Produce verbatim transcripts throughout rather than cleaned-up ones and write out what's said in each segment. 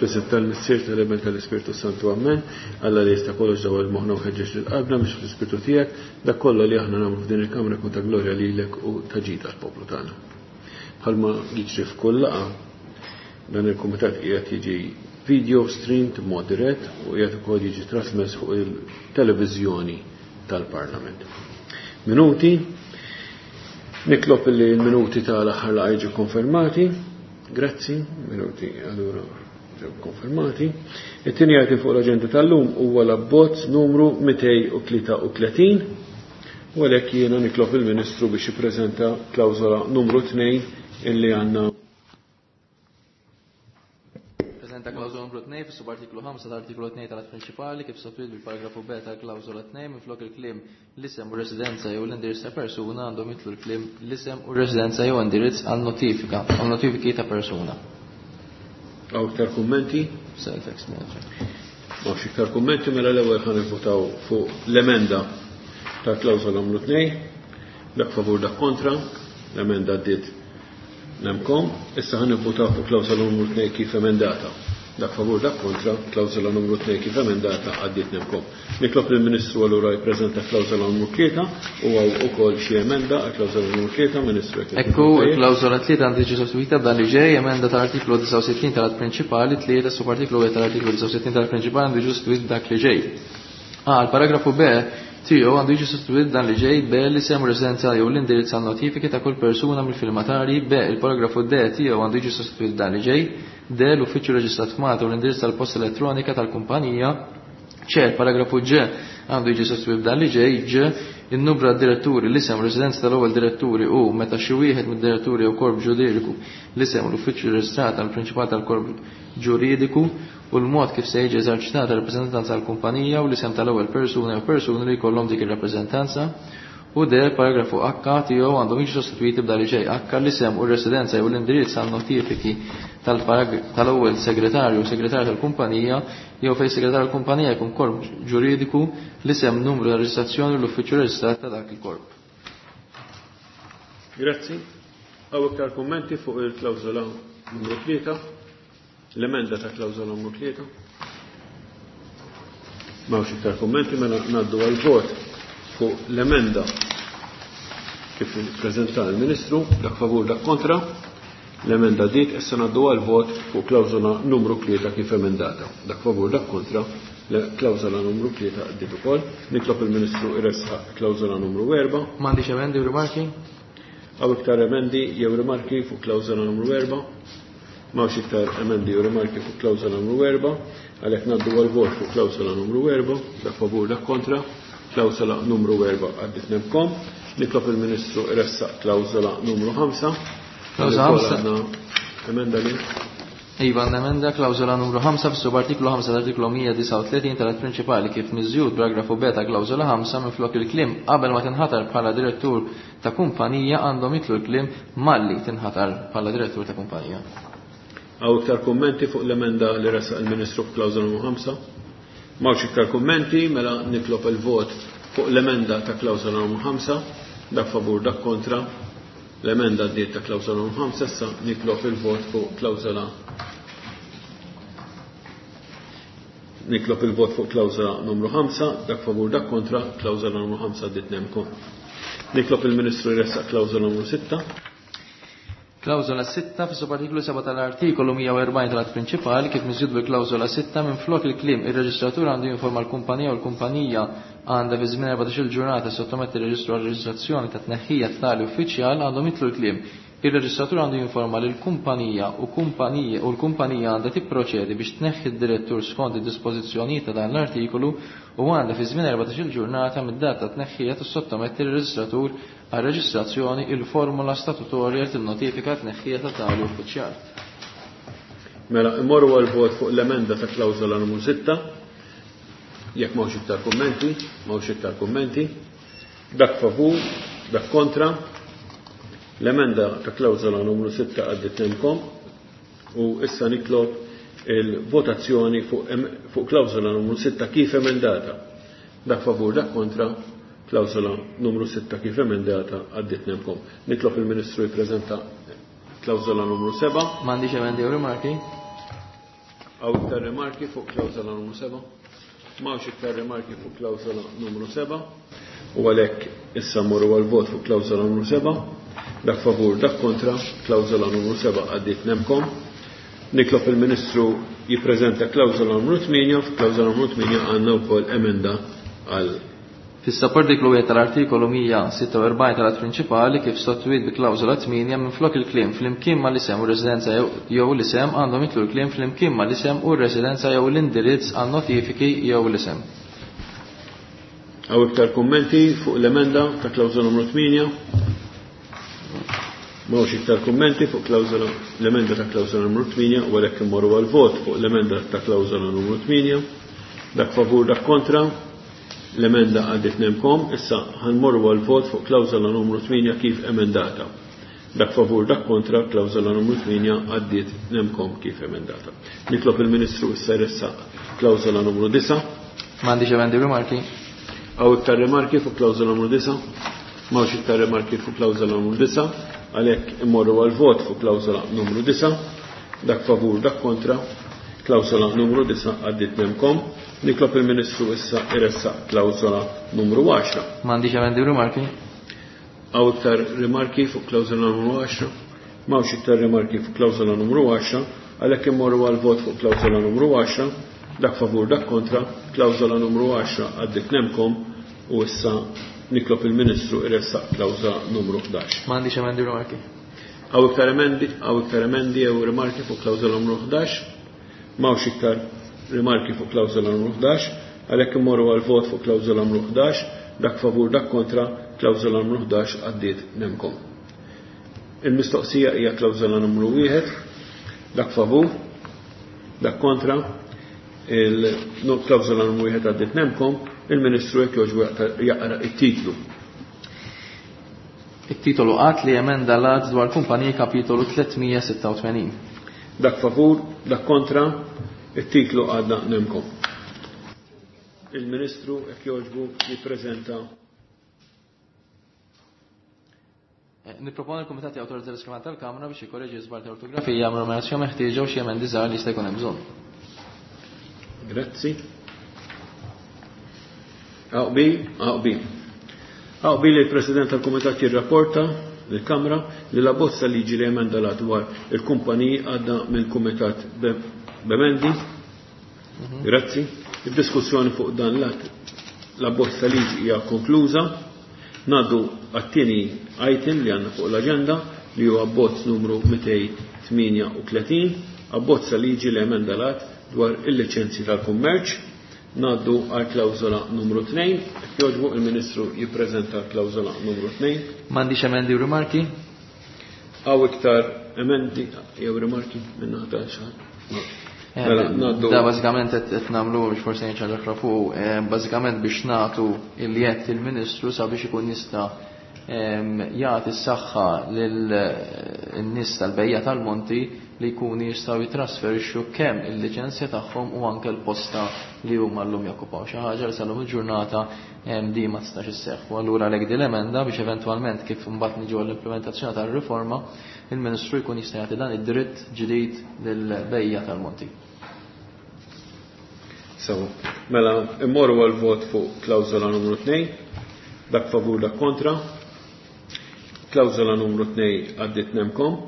Fl-isem tal-Missier, tal-Iben, tal-Ispirtu Santu, Amen. Alla li jista' kollox dawwal moħħna u ħeġġeġ lil qalbna biex fl-Ispirtu tiegħek dak kollha li aħna nagħmlu f'din il-Kamra jkun ta' glorja lilek u ta' ġid għall-poplu tagħna. Bħalma jiġri f'kull laqgħa, dan il-kumitat qiegħed jiġi video streamed b'mod dirett u qiegħed ukoll jiġi trasmess fuq il-televiżjoni tal-Parlament. Minuti, nitlob li l-minuti tal-aħħar laqgħa jiġu konfermati. Grazzi, minuti allura ġew konfermati. It-tieni item fuq l-aġenda tal-lum huwa l-abbozz numru mitejn u tlieta u tletin u għalhekk jiena nitlob il-Ministru biex jippreżenta klawżola numru tnejn illi għandna. Preżenta klawżola numru tnejn fis-subartiklu ħamsa tal-artiklu tnejn tal-att prinċipali kif sostitwit bil-paragrafu B tal-klawżola tnejn minflok il-kliem l-isem u residenza jew l-indirizz ta' persuna għandhom jitlu l-kliem l-isem u residenza jew indirizz għal notifika għal notifiki ta' persuna. Hawn iktar kummenti? Self-explanatory. M'hawnx iktar kummenti, mela l-ewwel ħa nivvutaw fuq l-emenda ta' klawżola numru tnejn, dak favur dak kontra, l-emenda għaddiet nemkom. Issa ħa nivvutaw fuq klawżola numru tnejn kif emendata. Dak favur dak kontra, klawżola numru tnejn kif emendata għaddiet nemkom. Nitlob lill-Ministru allura jippreżenta klawżola numru tlieta u hawn ukoll xi emenda għal klawżola numru tlieta, Ministru, jekk Ekku, jkun tajjeb. il-klawżola tlieta għandha tiġi sostitwita b'dan li ġej, emenda tal-artiklu disgħa u sittin tal-att prinċipali, tlieta subartiklu wieħed tal-artiklu disgħa u sittin tal-att prinċipali għandu jiġi sostitwit b'dak li ġej. A, il-paragrafu B tiegħu għandu jiġi sostitwit dan li ġej, B, l-isem u residenza jew l-indirizz għal notifiki ta' kull persuna mill-firmatari, B, il-paragrafu D tiegħu għandu jiġi sostitwit dan li ġej, D, l-uffiċċju reġistrat f'Malta u l-indirizz tal-posta elettronika tal-kumpanija, C, il-paragrafu G għandu jiġi sostitwit b'dan li ġej, G, in-numru għad-diretturi, l-isem u residenza tal-ewwel diretturi u meta xi wieħed mid-diretturi jew korp ġuridiku l-isem u l-uffiċċju reġistrat għall-prinċipal tal-korp ġuridiku u l-mod kif se jiġi eżerċitata rappreżentanza għall-kumpanija u l-isem tal-ewwel persuna jew persuni li jkollhom dik ir-rappreżentanza, u D, paragrafu H tiegħu għandhom jiġu sostitwiti b'dan li ġej, H, l-isem u r-residenza jew l-indirizz għal notifiki tal-parag-, tal-ewwel segretarju u segretarju tal-kumpanija jew fejn segretarju tal-kumpanija jkun korp ġuridiku, l-isem, numru ta' reġistrazzjoni u l-uffiċċju reġistrat ta' dak il-korp. Grazzi. Hawn iktar kummenti fuq il-klawżola numru tlieta? L-emenda ta' klawżola numru tlieta? M'hawnx iktar kummenti, mela ngħaddu għal vot fuq l-emenda kif ippreżenta l-Ministru, dak favur dak kontra. L-emenda dik, issa ngħaddu għal vot fuq klawżola numru tlieta kif emendata. Dak favur dak kontra, klawżola numru tlieta għaddiet ukoll. Nitlob il-Ministru jressaq klawżola numru erba'. M'għandix emendi u rimarki? Hawn iktar emendi jew rimarki fuq klawżola numru erba'? M'hawnx iktar emendi u rimarki fuq klawżola numru erba', għalhekk ngħaddu għal vot fuq klawżola numru erba', dak favur dak kontra, klawżola numru erba' għaddiet nemkom. Nitlob il-Ministru jressaq klawżola numru ħamsa. Klawżola ħamsa. Għandna emenda li? Iva, għandna emenda klawżola numru ħamsa fis-subartiklu ħamsa tal-artiklu mija disgħa u tletin tal-att prinċipali kif miżjud paragrafu B ta' klawżola ħamsa minflok il-kliem qabel ma tinħatar bħala direttur ta' kumpanija għandhom jitlu l-kliem malli tinħatar bħala direttur ta' kumpanija. Hawn iktar kummenti fuq l-emenda li ressaq il-Ministru f'klawżola numru ħamsa? M'hawnx iktar kummenti, mela nitlob il-vot fuq l-emenda ta' klawżola numru ħamsa, dak favur dak kontra. L-emenda għaddiet ta' klawżola numru ħamsa, issa nitlob il-vot fuq klawżola Nitlob il-vot fuq klawżola numru ħamsa, dak favur dak kontra, klawżola numru ħamsa għaddiet nemkom. Nitlob il-Ministru jressaq klawżola numru sitta. Klawżola sitta fis-subartiklu seba' tal-artikolu mija u erbgħin tal-att prinċipali kif miżjud bil-klawżola sitta minflok il-kliem ir-reġistratur għandu jinforma l-kumpanija u l-kumpanija għandha fi żmien erbatax-il ġurnata sottometti r-reġistru għal reġistrazzjoni ta' tneħħija tali uffiċjal għandhom jitlu l-kliem ir-reġistratur għandu jinforma lil kumpanija u kumpanija u l-kumpanija għandha tipproċedi biex tneħħi d-direttur skont id-dispożizzjonijiet ta' dan l-artikolu u għandha fi żmien erbatax-il ġurnata mid-data tneħħija tissottometti r-reġistratur għal reġistrazzjoni il-formula statutorja li tinnotifika tneħħija ta' tali uffiċjal. Mela, immorru għal vot fuq l-emenda ta' klawżola numru sitta. Jekk m'hawnx iktar kummenti, m'hawnx iktar kummenti. Dak favur, dak kontra. L-emenda ta' klawżola numru sitta għaddiet nemkom u issa nitlob il-votazzjoni fuq em-, fuq klawżola numru sitta kif emendata. Dak favur, dak kontra, klawżola numru sitta kif emendata għaddiet nemkom. Nitlob il-Ministru jippreżenta klawżola numru seba'. M'għandix emendi u rimarki. Hawn iktar rimarki fuq klawżola numru seba'? M'hawnx iktar rimarki fuq klawżola numru seba' u għalhekk issa mmorru għal-vot fuq klawżola numru seba'. Dak favur, dak kontra, klawżola numru seba' għaddiet nemkom. Nitlob il-Ministru jippreżenta klawżola numru tmienja, f'klawżola numru tmienja għandna wkoll emenda għal Fis-subartiklu wieħed tal-artikolu mija sitta u erbgħin tal-att prinċipali kif sottostituit bi klawżola tmienja minflok il-kliem flimkien mal-isem u residenza jew l-isem għandhom jitlu l-kliem flimkien mal-isem u r-residenza jew l-indirizz għan notifiki jew l-isem. Hawn iktar kummenti fuq l-emenda ta' klawżola numru tmienja? M'hawnx iktar kummenti fuq klawżola l-emenda ta' klawżola numru tmienja u għalhekk immorru għal-vot fuq l-emenda ta' klawżola numru tmienja. Dak favur, dak kontra. L-emenda għaddit nemkom, issa ħanmorru għal-vot fuq klawżola numru tmienja kif emendata. Dak favur, dak kontra, klawżola numru tmienja għaddit nemkom kif emendata. Nitlob il-Ministru issa jressaq klawżola numru disa'. M'għandix emendi rimarki. Hawn iktar rimarki fuq klawżola numru disa'? M'hawnx iktar rimarki fuq klawżola numru disa', għalhekk immorru għal-vot fuq klawżola numru disa'. Dak favur, dak kontra, klawżola numru disa' għaddit nemkom. Nitlob il-Ministru issa jressaq klawżola numru għaxra. M'għandix emendi rimarki. Hawn iktar rimarki fuq klawżola numru għaxra? M'hawnx iktar rimarki fuq klawżola numru għaxra, għalhekk immorru għal-vot fuq klawżola numru għaxra. Dak favur, dak kontra, klawżola numru għaxra għaddit nemkom u issa nitlob il-Ministru jressaq klawżola numru ħdax. M'għandix emendi rimarki. Hawn iktar emendi, hawn iktar emendi jew rimarki fuq klawżola numru ħdax? M'hawnx iktar rimarki fuq klawżola numru ħdax, għalhekk immorru għal-vot fuq klawżola numru ħdax, dak favur, dak kontra, klawżola numru ħdax għaddiet nemkom. Il-mistoqsija hija klawżola numru wieħed, dak favur, dak kontra, il-klawżola numru wieħed għaddiet nemkom, il-Ministru jekk jogħġbu jaqra it-titlu. It-titolu qatt li emenda l-att dwar kumpaniji kapitolu tlietmija sitta u tmenin. Dak favur, dak kontra, it-titlu għadna nemkom. Il-Ministru jekk jogħġbu jippreżenta. Nipproponi l-Kumitat jawtorizza l-iskrivan tal-Kamra biex jikkoreġi żball ta' ortografija jagħmlu numerazzjoni meħtieġa u xi emendi żgħar li jista' jkun hemm bżonn. Grazzi. Aqbi, aqbi. Aqbi li l-President tal-Kumitat jirrapporta lill-Kamra li l-abbozz liġi li emenda l-att dwar il-kumpaniji għadda mill-Kumitat b'emendi. Grazzi. Id-diskussjoni fuq dan l-att l-abbozz liġi hija konkluża. Ngħaddu għat-tieni item li għandna fuq l-aġenda li huwa abbozz numru mitejn tmienja u tletin, abbozz liġi li emenda l-att dwar il-liċenzji tal-kummerċ. Ngħaddu għal klawżola numru tnejn. Jekk jogħġbu il-Ministru jippreżenta klawżola numru tnejn. M'għandix emendi u rimarki. Hawn iktar emendi jew rimarki minn naħa ta' xi ħadd? Mela, ngħaddu. Da bażikament qed, qed nagħmlu biex forsi ngħid xi ħaġa oħra fuq, eh, bażikament biex nagħtu il-jett il-Ministru sabiex ikun jista', ehm, jagħti s-saħħa lil-nies tal-bejja tal-Monti li jkunu jistgħu jitrasferixxu kemm il-liċenzja tagħhom u anke l-posta li huma llum jokkupaw. Xi ħaġa li sal-lum il-ġurnata, ehm, di ma tistax isseħħ. U allura għalhekk din l-emenda biex eventwalment kif imbagħad niġu għall-implementazzjoni tar-riforma, il-Ministru jkun jista' jagħti dan id-dritt ġdid lill-bejja tal-Monti. Sewa. Mela, immorru għal-vot fuq klawżola numru tnejn, dak favur, dak kontra. Klawżola numru tnejn għaddiet nemkom.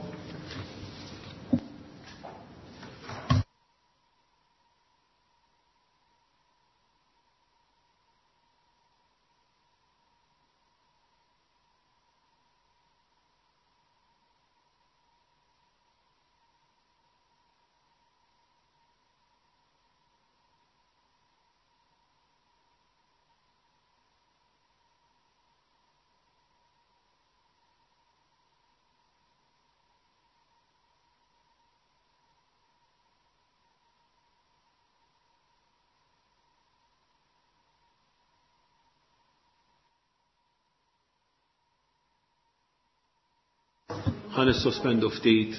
Ħa nissospendu ftit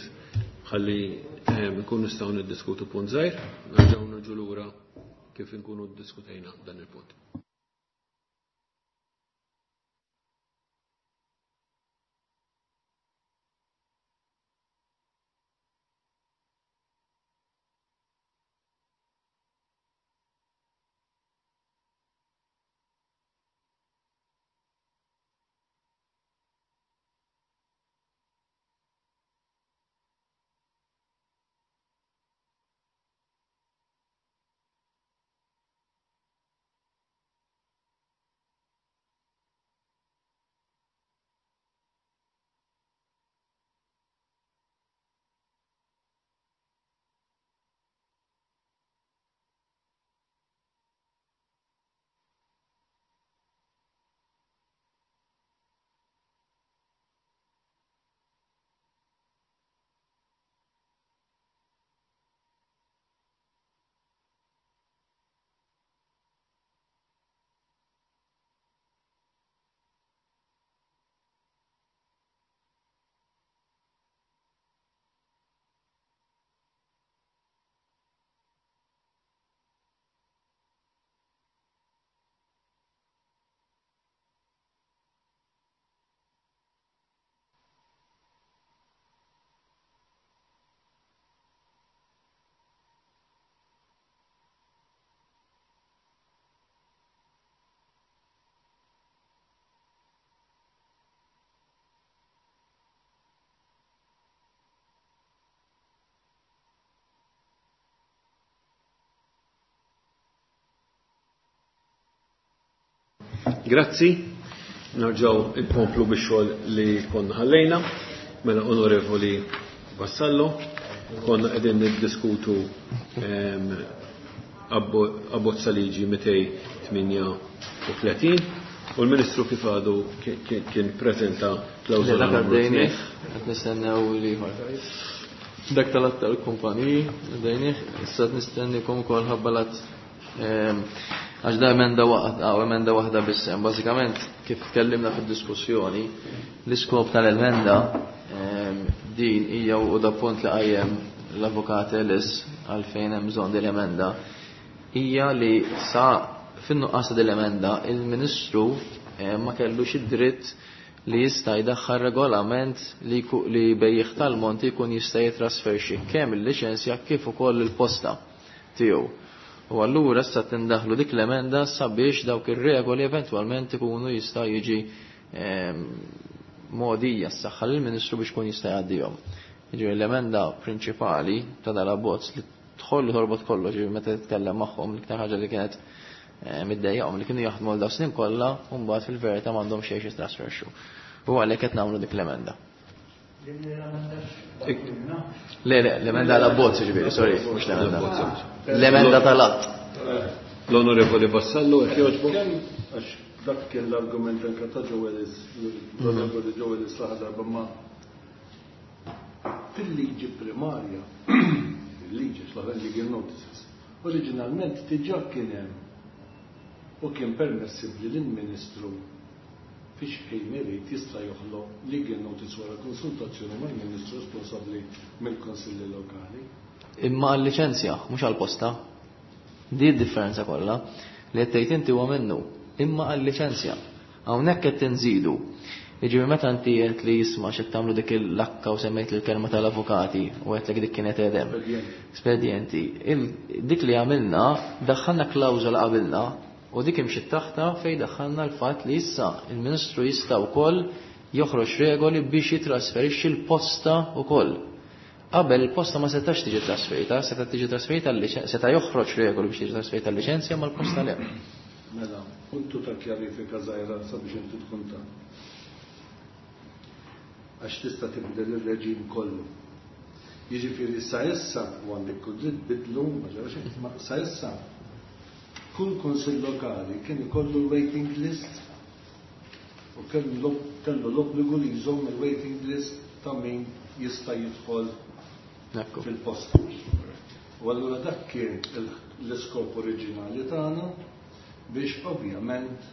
ħalli, ehm, nkunu nistgħu niddiskutu punt żgħir, nerġgħu niġu lura kif inkunu ddiskutejna dan il-punt. Grazzi. Nerġgħu nkomplu bix-xogħol li konna ħallejna. Mela Onorevoli Vassallo, konna qegħdin niddiskutu ehm, abbozza liġi mitejn tmienja u tletin u l-Ministru kif għadu kien preżenta klawżola Dak numru għaddejnieh, tnejn. qed nistennew l-ieħor. Dak tal-att tal-kumpaniji, għaddejnieh, issa qed nistennikom ukoll ħabba l-att, ehm, għax da emenda waħda, għaw emenda waħda biss, hemm bażikament kif tkellimna fid-diskussjoni, l-iskop tal-emenda, ehm, din hija u da punt li qajjem l-Avukat Ellis għalfejn hemm bżonn din l-emenda, hija li sa fin-nuqqas ta' din l-emenda il-Ministru, eh, ma kellux id-dritt li jista' jdaħħal regolament li ku-, li bejjiegħ tal-monti jkun jista' jitrasferixxi kemm il-liċenzja kif ukoll il-posta tiegħu. U allura issa tindaħlu dik l-emenda sabiex dawk ir-regoli eventwalment ikunu jista' jiġi, ehm, mogħdija s-saħħa lill-Ministru biex kun jista' jgħaddihom. Jiġifieri l-emenda prinċipali ta' dal-abbozz li tħollu torbot kollox, jiġifieri meta titkellem magħhom l-iktar ħaġa li kienet, eh, middejjaqhom li kienu jaħdmu għal dawn snin kollha u mbagħad fil-verità m'għandhom xejn jitrasferxu. U għalhekk qed nagħmlu dik l-emenda. Le, le, l-emenda għal-abbozz, ġifieri, sorry, mhux l-emenda. L-emenda tal-att. L-Onorevoli Vassallo, jekk jogħġbu. Għax dak kien l-argument anke ta' Joe Ellis, l-Onorevoli Joe Ellis l-aħħar darba, ma fil-liġi primarja, il-liġi x'l-aħħar legal notices, oriġinalment diġà kien hemm u kien permessibbli lill-Ministru fiex ħin irid jista' joħloq legal notice wara konsultazzjoni mal-Ministru responsabbli mill-Konsilli Lokali. Imma għal-liċenzja, mhux għall-posta. Di d-differenza kollha li qed tgħid inti huwa minnu, imma għal-liċenzja. Hawnhekk qed tinżidu. Jiġifieri meta inti qed li jisma' x'qed tagħmlu dik il-lakka u semmejt il-kelma tal-avukati u qed lek dik kienet edem. Spedjenti. Il-, dik li għamilna, daħħalna klawżola qabilna u dik imxiet taħta fejn daħħalna l-fatt li issa il-Ministru jista' wkoll joħroġ regoli biex jitrasferixxi l-posta wkoll. Qabel il-posta ma setax tiġi trasferita, seta tiġi trasferita l-liċen-, seta joħroġ regoli biex tiġi trasferita l-liċenzja ma l-posta le. Mela, puntu ta' kjarifika żgħira sabiex inti tkun ta'. Għax tista' tibdel ir-reġim kollu. Jiġifieri sa issa u għandek kull dritt bidlu, ma ġara xejn, ma sa issa kull kunsill lokali kien ikollu l-waiting list u kellu, kellu l-obbligu li jżomm il-waiting list ta' min jista' jidħol Ekku. fil-post. U allura dak kien il-, l-iskop oriġinali tagħna biex ovvjament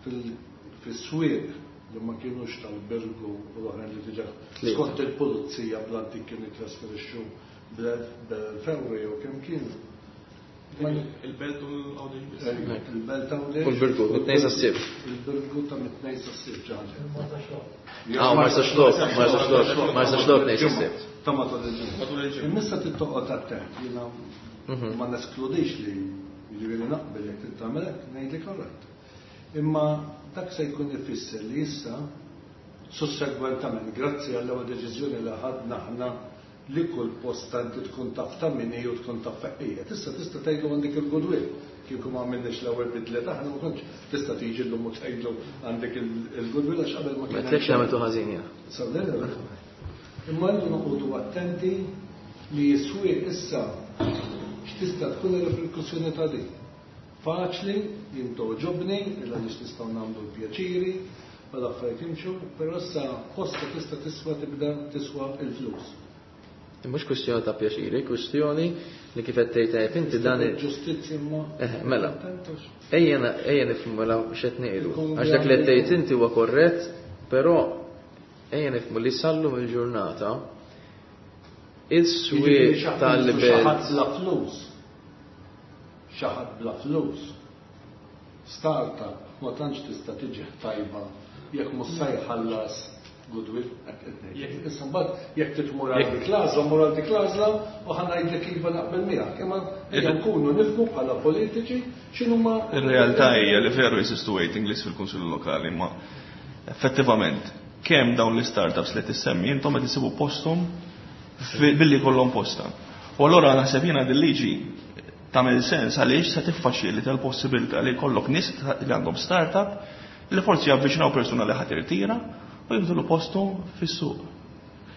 fil-, fis-swieq li ma kienux tal-Birgu u l-oħrajn li diġà Tlieta. skont il-pulizija bl-antik kienu jitrasferixxu bl-elf euro jew kemm kienu. Il-belt u l-Għawdex biss. Il-belt Għawdex. U l-Birgu, mit-tnejn sas-sibt. Il-Birgu ta' mit-tnejn sas-sibt ġaġa. Ah, Marsaxlokk, Marsaxlokk, Marsaxlokk tnejn sas-sibt. Ta' matul il-ġimgħa. Matul il-ġimgħa. Imma issa tittoqgħod attent, jiena Mhm. ma neskludix li jiġifieri naqbel jekk trid tagħmel hekk, ngħidlek alright. Imma dak se jkun ifisser li issa sussegwentament, grazzi għall-ewwel deċiżjoni li ħadna aħna li kull posta inti tkun taf ta' min hi u tkun taf feqija. Tista' tista' tgħidlu għandek il-goodwill. Kieku ma għamilniex l-ewwel bidla aħna ma kontx tista' tiġi llum u tgħidlu għandek il-, il-goodwill għax qabel ma Ma kien tlekx hemm għamiltu ħażin jiena. Sawdejna. Imma rridu noqogħdu attenti li s-swieq issa x'tista' tkun ir-reperkussjoni ta' din. Faċli, jien toġobni, illa nix nistgħu nagħmlu l-pjaċiri, u l-affarijiet jimxu, però issa posta tista' tiswa tibda tiswa l-flus. Mhux kwistjoni ta' pjaċiri, kwistjoni li kif qed tgħid tajjeb inti dan il- Ġustizzja imma Eh, mela. Attentux. Ejja na-, ejja nifhmu mela x'qed ngħidu. Ikun Għax dak li qed tgħid għandi- inti huwa korrett, però ejja nifhmu li sallum il-ġurnata is-swieq Jiġifieri xi ħadd tal-belt. xi ħadd bla flus. Xi ħadd bla flus. Startup ma tantx tista' tiġi tajba jekk mhux se jħallas goodwill. Issa mbagħad jekk titmur għal dik l-għażla, mur għal dik l-għażla u ħa ngħidlek iva naqbel miegħek. Imma ejja nkunu nifhmu bħala politiċi x'inhuma Ir-realtà hija li veru jeżistu waiting list fil-Kunsill Lokali, ma effettivament kemm dawn l-startups li tissemmi intom qed isibu posthom fi-, billi jkollhom posta. U allura naħseb jiena din liġi Tagħmel sens għaliex se tiffaċilita l-possibilità li jkollok nies li għandhom startup li forsi javviċinaw persuna li ħadd irtira u jibdulu postu fis-suq.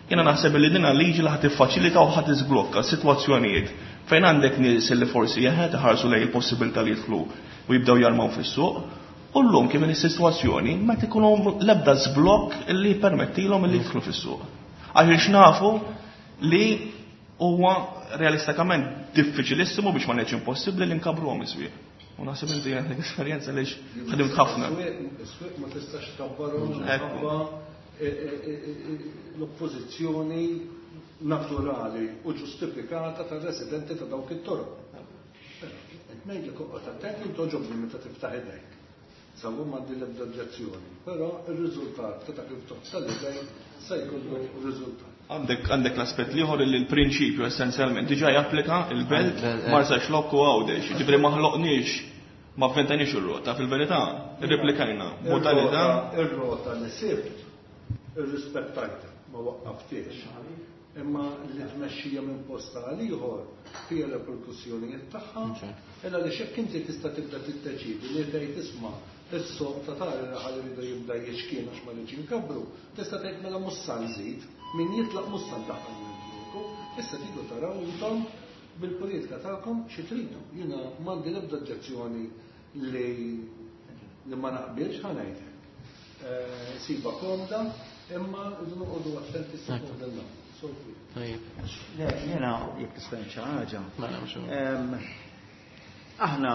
Jiena naħseb li din liġi li ħadd tiffaċilita u ħadd tiżblokka sitwazzjonijiet fejn għandek nies li forsi jeħed iħarsu lejn il-possibilità li jidħlu u jibdew jarmaw fis-suq. U llum kif in is-sitwazzjoni ma tikunhom l-ebda żblokk li jippermettilhom li jidħlu fis-suq. Għaliex nafu li huwa realistikament diffiċilissimu biex ma ngħidx impossibbli li nkabruhom is-swieq. U naħseb inti għandek esperjenza għaliex ħdimt ħafna. Is-swieq ma tistax tkabbarhom minħabba l-oppożizzjoni naturali u ġustifikata tar-residenti ta' dawk it-toroq. Qed ngħidlek oqgħod attent li toġobni meta tiftaħ idejk. Sawu m'għandi l-ebda oġġezzjoni, però r-riżultat ta' dak il-ftuħ tal-idejn se jkollu riżultat. Għandek għandek l-aspett l-ieħor li l-prinċipju essenzjalment diġà japplika il-Belt, Marsaxlokk u Għawdex. Ġifieri ma ħloqniex, ma avventajniex ir-rota, fil-verità irreplikajna modalità. Ir-rota li sibt irrispettajta, ma waqqaftiex. Imma li tmexxija minn posta għal ieħor fiha reperkussjonijiet tagħha, illa li x'hekk inti tista' tibda tiddeċiedi li tgħid isma' is-soq ta' tali raħal iridu jibda jiexkien għax ma rridx inkabru, tista' tgħid mela mhux sa nżid, min jitlaq mhux sa ndaħħal mill-ġieku, issa tridu taraw intom bil-politika tagħkom xi tridu. Jiena m'għandi l-ebda oġġezzjoni li li ma naqbilx ħa ngħidlek. Siba komda, imma rridu noqogħdu attenti sa fuq din l-għamla. Tajjeb. Le, jiena jekk tista' ngħid xi ħaġa. Mela, mhux hekk. Aħna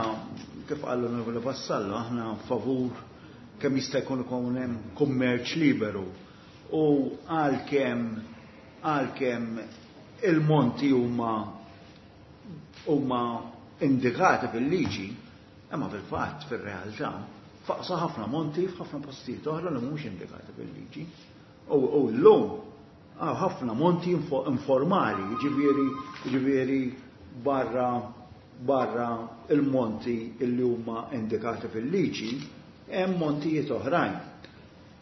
kif qalu l-Onorevoli Vassallo, aħna favur kemm jista' jkun ikun hemm kummerċ liberu u għalkemm għalkemm il-monti huma huma indikati fil-liġi, imma fil-fatt fir-realtà faqsa ħafna monti f'ħafna postijiet oħra li mhumiex indikati fil-liġi. U llum ħafna monti informali, jiġifieri jiġifieri barra barra il-monti illi huma indikati fil-liġi, hemm montijiet oħrajn.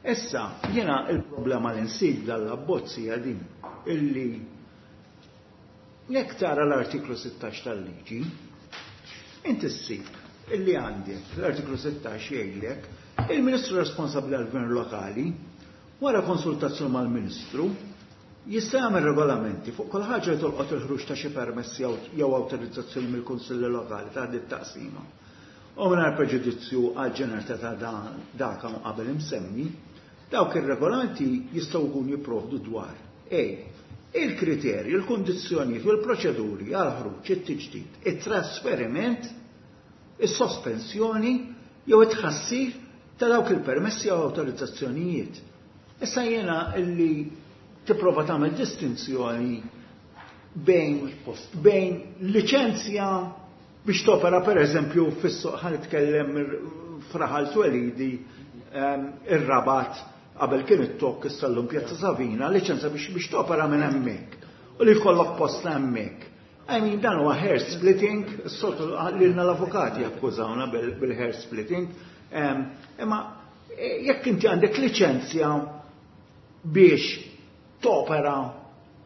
Issa, jiena il-problema li nsib dal-abbozz hija din illi jekk tara l-artiklu sittax tal-liġi, inti ssib illi għandek l-artiklu sittax jgħidlek il-Ministru responsabbli għall-Gvern Lokali wara konsultazzjoni mal-Ministru jista' jagħmel regolamenti fuq kull ħaġa li tolqot il-ħruġ ta' xi permessi jew awtorizzazzjoni mill-Kunsilli Lokali ta' din it-taqsima. U mingħajr preġudizzju għal ġeneralità ta' dak hawn qabel imsemmi, dawk ir-regolamenti jistgħu jkunu jipprovdu dwar A. Il-kriterji, il-kundizzjonijiet u l-proċeduri għal ħruġ, it-tiġdid, it-trasferiment, is-sospensjoni jew it-tħassir ta' dawk il-permessi jew awtorizzazzjonijiet. Issa jiena illi tipprova tagħmel distinzjoni bejn bejn liċenzja biex topera pereżempju fis-suq, ħa nitkellem fraħal twelidi ir-Rabat qabel kien it-Tokk issa llum Pjazza Savina, liċenzja biex biex topera minn hemmhekk u li jkollok post hemmhekk. I mean, dan huwa hair splitting, s-soltu lilna l-avukati jakkużawna bil-hair splitting, imma jekk inti għandek liċenzja biex topera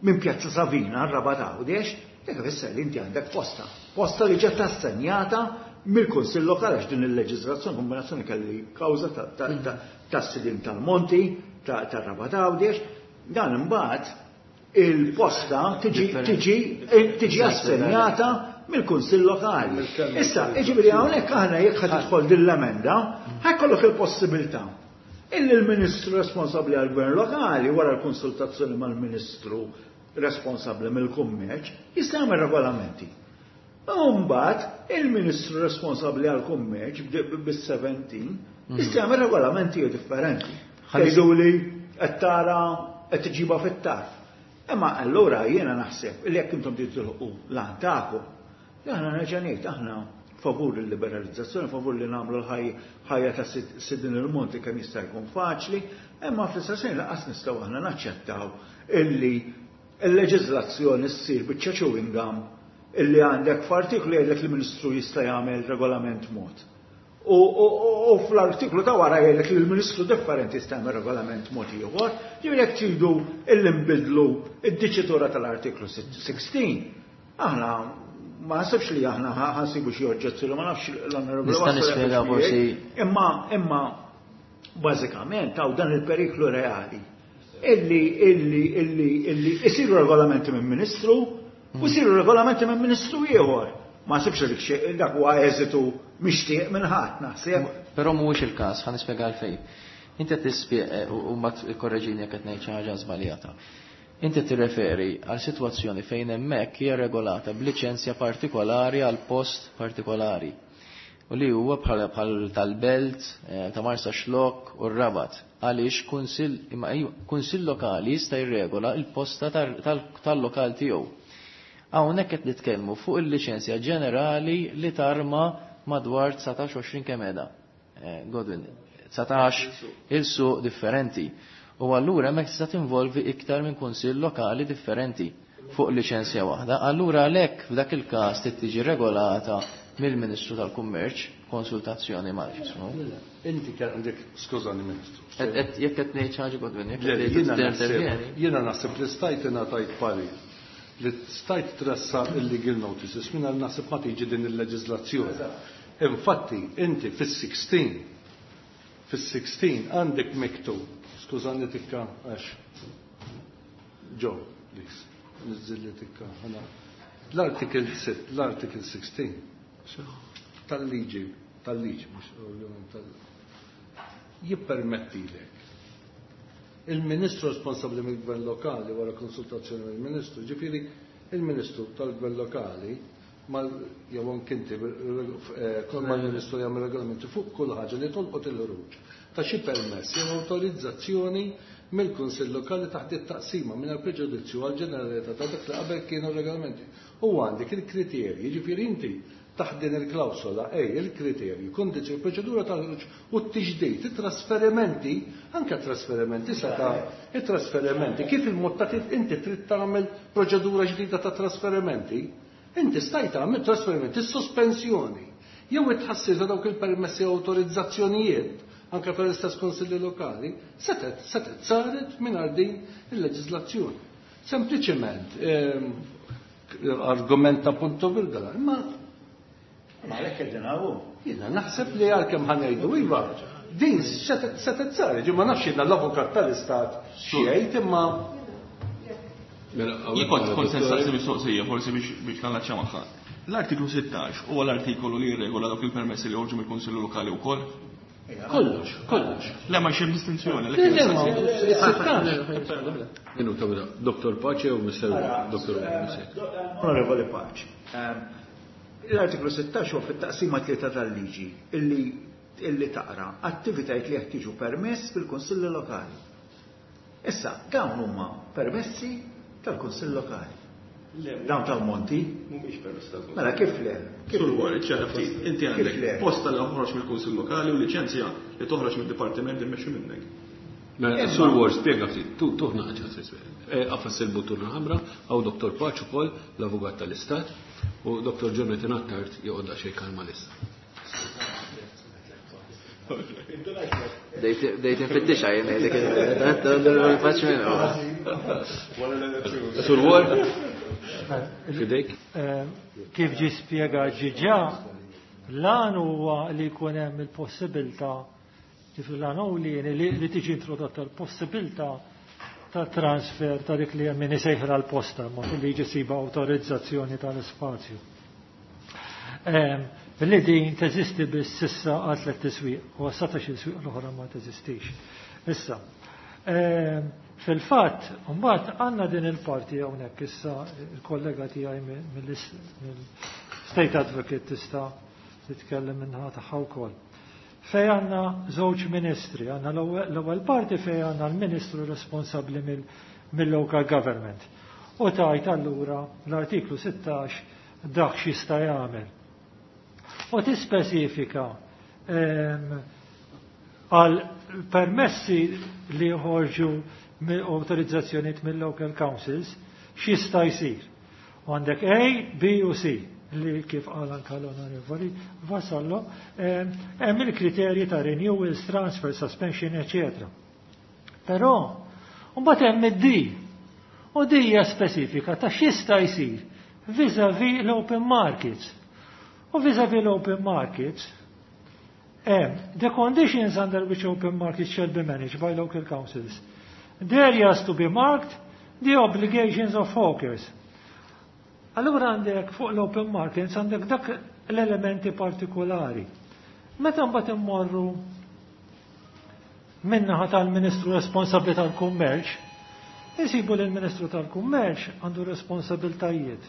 minn Pjazza Savina, r-Rabat Għawdex, dak ifisser li inti għandek posta. Posta li ġiet assenjata mill-Kunsill Lokali għax din il-leġiżlazzjoni kombinazzjoni kelli kawża tas-sidin tal-Monti, tar-Rabat Għawdex, dan imbagħad il-posta tiġi tiġi tiġi assenjata mill-Kunsill Lokali. Issa, jiġifieri hawnhekk aħna jekk ħa tidħol din l-emenda, ħajkollok il-possibilità illi l-Ministru responsabbli għall-Gvern Lokali wara l-konsultazzjoni mal-Ministru responsabbli mill-kummerċ jista' jagħmel regolamenti. U mbagħad il-Ministru responsabbli għall-kummerċ bis-seventeen jista' jagħmel regolamenti differenti. Tgħidu li qed tara qed tiġiba fit-tarf. Imma allura jiena naħseb li jekk intom tridu tilħqu l-għan tagħkom, aħna nerġa' ngħid aħna favur il-liberalizzazzjoni, favur li nagħmlu l-ħajja ta' sidin il-monti kemm jista' jkun faċli, imma fl-istess ħin lanqas nistgħu aħna naċċettaw illi l-leġiżlazzjoni ssir biċċa chewing gum illi għandek f'artiklu jgħidlek li l-Ministru jista' jagħmel regolament mod. U fl-artiklu ta' wara jgħidlek li l-Ministru differenti jista' jagħmel regolament mod ieħor, ġifieri jekk tridu illi nbidlu id-diċitura tal-artiklu sixteen, aħna Ma naħsibx li aħna ħansibu xi oġġezzjoni, ma nafx l-Onorevoli Nista' nispjega forsi. Imma imma bażikament hawn dan il-periklu reali illi illi illi illi isiru regolamenti minn ministru u isiru regolamenti minn ministru ieħor. Ma naħsibx li xi dak huwa eżitu mixtieq minn ħadd naħseb. Però mhuwiex il-każ, ħa nispjega għalfejn. Inti qed tispjega u mbagħad ikkorreġini jekk qed ngħid xi ħaġa żbaljata. Inti tirreferi għal sitwazzjoni fejn hemmhekk hija regolata b'liċenzja partikolari għal post partikolari. U li huwa bħal bħal tal-Belt, eh, ta' Marsaxlokk u r-Rabat. Għaliex kunsill imma ejju, kunsill lokali jista' jirregola l-posta tal-lokal tiegħu. Hawnhekk qed nitkellmu fuq il-liċenzja ġenerali li tarma madwar dsatax għoxrin kemm qiegħda. Eh, Godwin, dsatax il-suq differenti. U allura hemmhekk tista' tinvolvi iktar minn kunsill lokali differenti fuq liċenzja waħda. Allura għalhekk f'dak il-każ trid tiġi regolata mill-Ministru tal-Kummerċ konsultazzjoni ma' ġismu. Inti kien għandek, skużani Ministru. Jekk qed ngħid xi ħaġa Godwin, jekk Le, qed jiena naħseb- intervjeni. Jiena naħseb li stajt ingħatajt parir li stajt tressaq il-legal notices mingħajr naħseb ma tiġi din il-leġiżlazzjoni. Infatti, inti fis-sixteen, fis-sixteen għandek miktub, skużani tikka għax Joe, please, niżżilli tikka ħana. L-article sitt, l-article sixteen tal-liġi, tal-liġi, mhux ovvjament tal jippermettilek. Il-Ministru responsabbli mill-Gvern Lokali wara konsultazzjoni mill-Ministru, ġifieri il-Ministru tal-Gvern Lokali mal jew anke inti eh, kol mal-Ministru jagħmel regolamenti fuq kull ħaġa li tolqot il-ħruġ ta' xi permess jew awtorizzazzjoni mill-Kunsill Lokali taħt it-taqsima mingħajr preġudizzju għal ġeneralità ta' dak li qabel kienu regolamenti. U għandek il-kriterji, ġifieri inti taħt din il-klawsola, ej, il-kriterji, kondizzjoni, proċedura tal-ħruġ u t-tiġdid, it-trasferimenti, anke trasferimenti seta' it-trasferimenti, kif il-mod ta' kif inti trid tagħmel proċedura ġdida ta' trasferimenti, inti stajt tagħmel trasferimenti, sospensjoni, jew it-tħassir ta' dawk il-permessi u awtorizzazzjonijiet, anke tal-istess konsilli lokali, setet, setet saret mingħajr din il-leġiżlazzjoni. Sempliċement, ehm, argument ta' punto virgola, imma Ma għalhekk qegħdin hawn. Jiena naħseb li għalkemm ħanejdu iva, din setet setet saret, ġi ma nafx jiena l-avukat tal-istat xi jgħid imma Mela, Jien kont kont se nistaqsi mistoqsija forsi biex biex nallaċċja magħha. L-artiklu sittax huwa l-artikolu li jirregola dawk il-permessi li joħorġu mill-Kunsillu Lokali wkoll? Kollox, kollox. Le ma xem distinzjoni, Le, le, ma sittax. Minuta, mela, Doktor Pace u Mister Doktor Mister. Onorevoli Pace, ehm, l-artiklu sittax huwa fit-taqsima tlieta tal-liġi illi, illi taqra attivitajiet li jeħtieġu permess fil-Kunsilli Lokali. Issa, dawn huma permessi tal-Kunsill Lokali. Dawn tal-Monti? Mhumiex permessi tal-Kunsill. Mela kif le? Kif Sur Warren, ċara ftit, inti Kif għandek le? posta li toħroġ mill-Kunsill Lokali u liċenzja li toħroġ mid-dipartiment immexxi minnek. Mela, Sur Ward, spjega ftit, tu tuħna ħaġa Għafas il-buttuna ħamra, għaw Doktor Pace ukoll, l-avukat tal-Istat, u Doktor Jonathan Attard joqgħod daqsxejn kalma lissa. Dejt infittixa jien ngħidlek il- Pace minn huwa. Sur Ward, fidejk. Eh, kif ġi spjega ġiġa, l-għan huwa li jkun hemm il-possibilità, kif l-għan hu li li, li tiġi introdotta l-possibilità ta' transfer ta' dik li hemm min isejħra l-posta, mod li jiġi siba awtorizzazzjoni tal-ispazju. Ehm, li din teżisti biss sissa għal tliet tiswieq, u għas-satax il-swieq l-oħra ma teżistix. Issa, ehm, fil-fatt, mbagħad għandna din il-parti hawnhekk issa il-kollega tiegħi mill-State Advocate tista' titkellem minnha tagħha wkoll. Fej għandna żewġ ministri, għandna l-ewwel parti fej għandna l-ministru responsabbli mill-local government. U tajt allura l-artiklu sittax dak x'jista' jagħmel. U tispeċifika, ehm, għal permessi li joħorġu autorizzazzjonijiet mill-local councils x'jista' jsir. U għandek A, B u C li kif qal anke l-Onorevoli Vassallo, ehm, hemm il-kriterji ta' renewals, transfer, suspension, eccetera. Però mbagħad hemm id-D. U D hija spesifika ta' x'jista' jsir vis-a-vis l-open markets. U vis-a-vis l-open markets, um, the conditions under which open markets shall be managed by local councils. The areas to be marked, the obligations of hawkers. Allura għandek fuq l-open markets għandek dak l-elementi partikolari. Meta mbagħad immorru min-naħa tal-Ministru responsabbli tal-Kummerċ, insibu li l-Ministru tal-Kummerċ għandu responsabiltajiet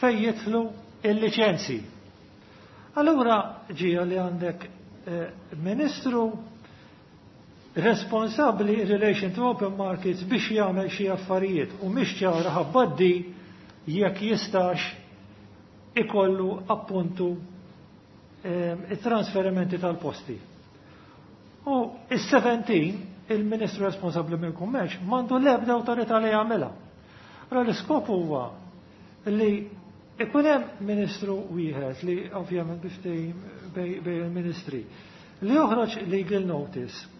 fejn jidħlu il-liċenzi. Allura ġija li għandek eh, Ministru responsabbli in relation to open markets biex jagħmel xi affarijiet u mhix ċara ħabbaddi jekk jistax ikollu appuntu eh, it-trasferimenti tal-posti. U is-seventeen il-Ministru responsabbli mill-Kummerċ m'għandu l-ebda awtorità li jagħmilha. Allora l-iskop huwa li ikun hemm ministru wieħed li ovvjament biftehim bej il-ministri li joħroġ legal notice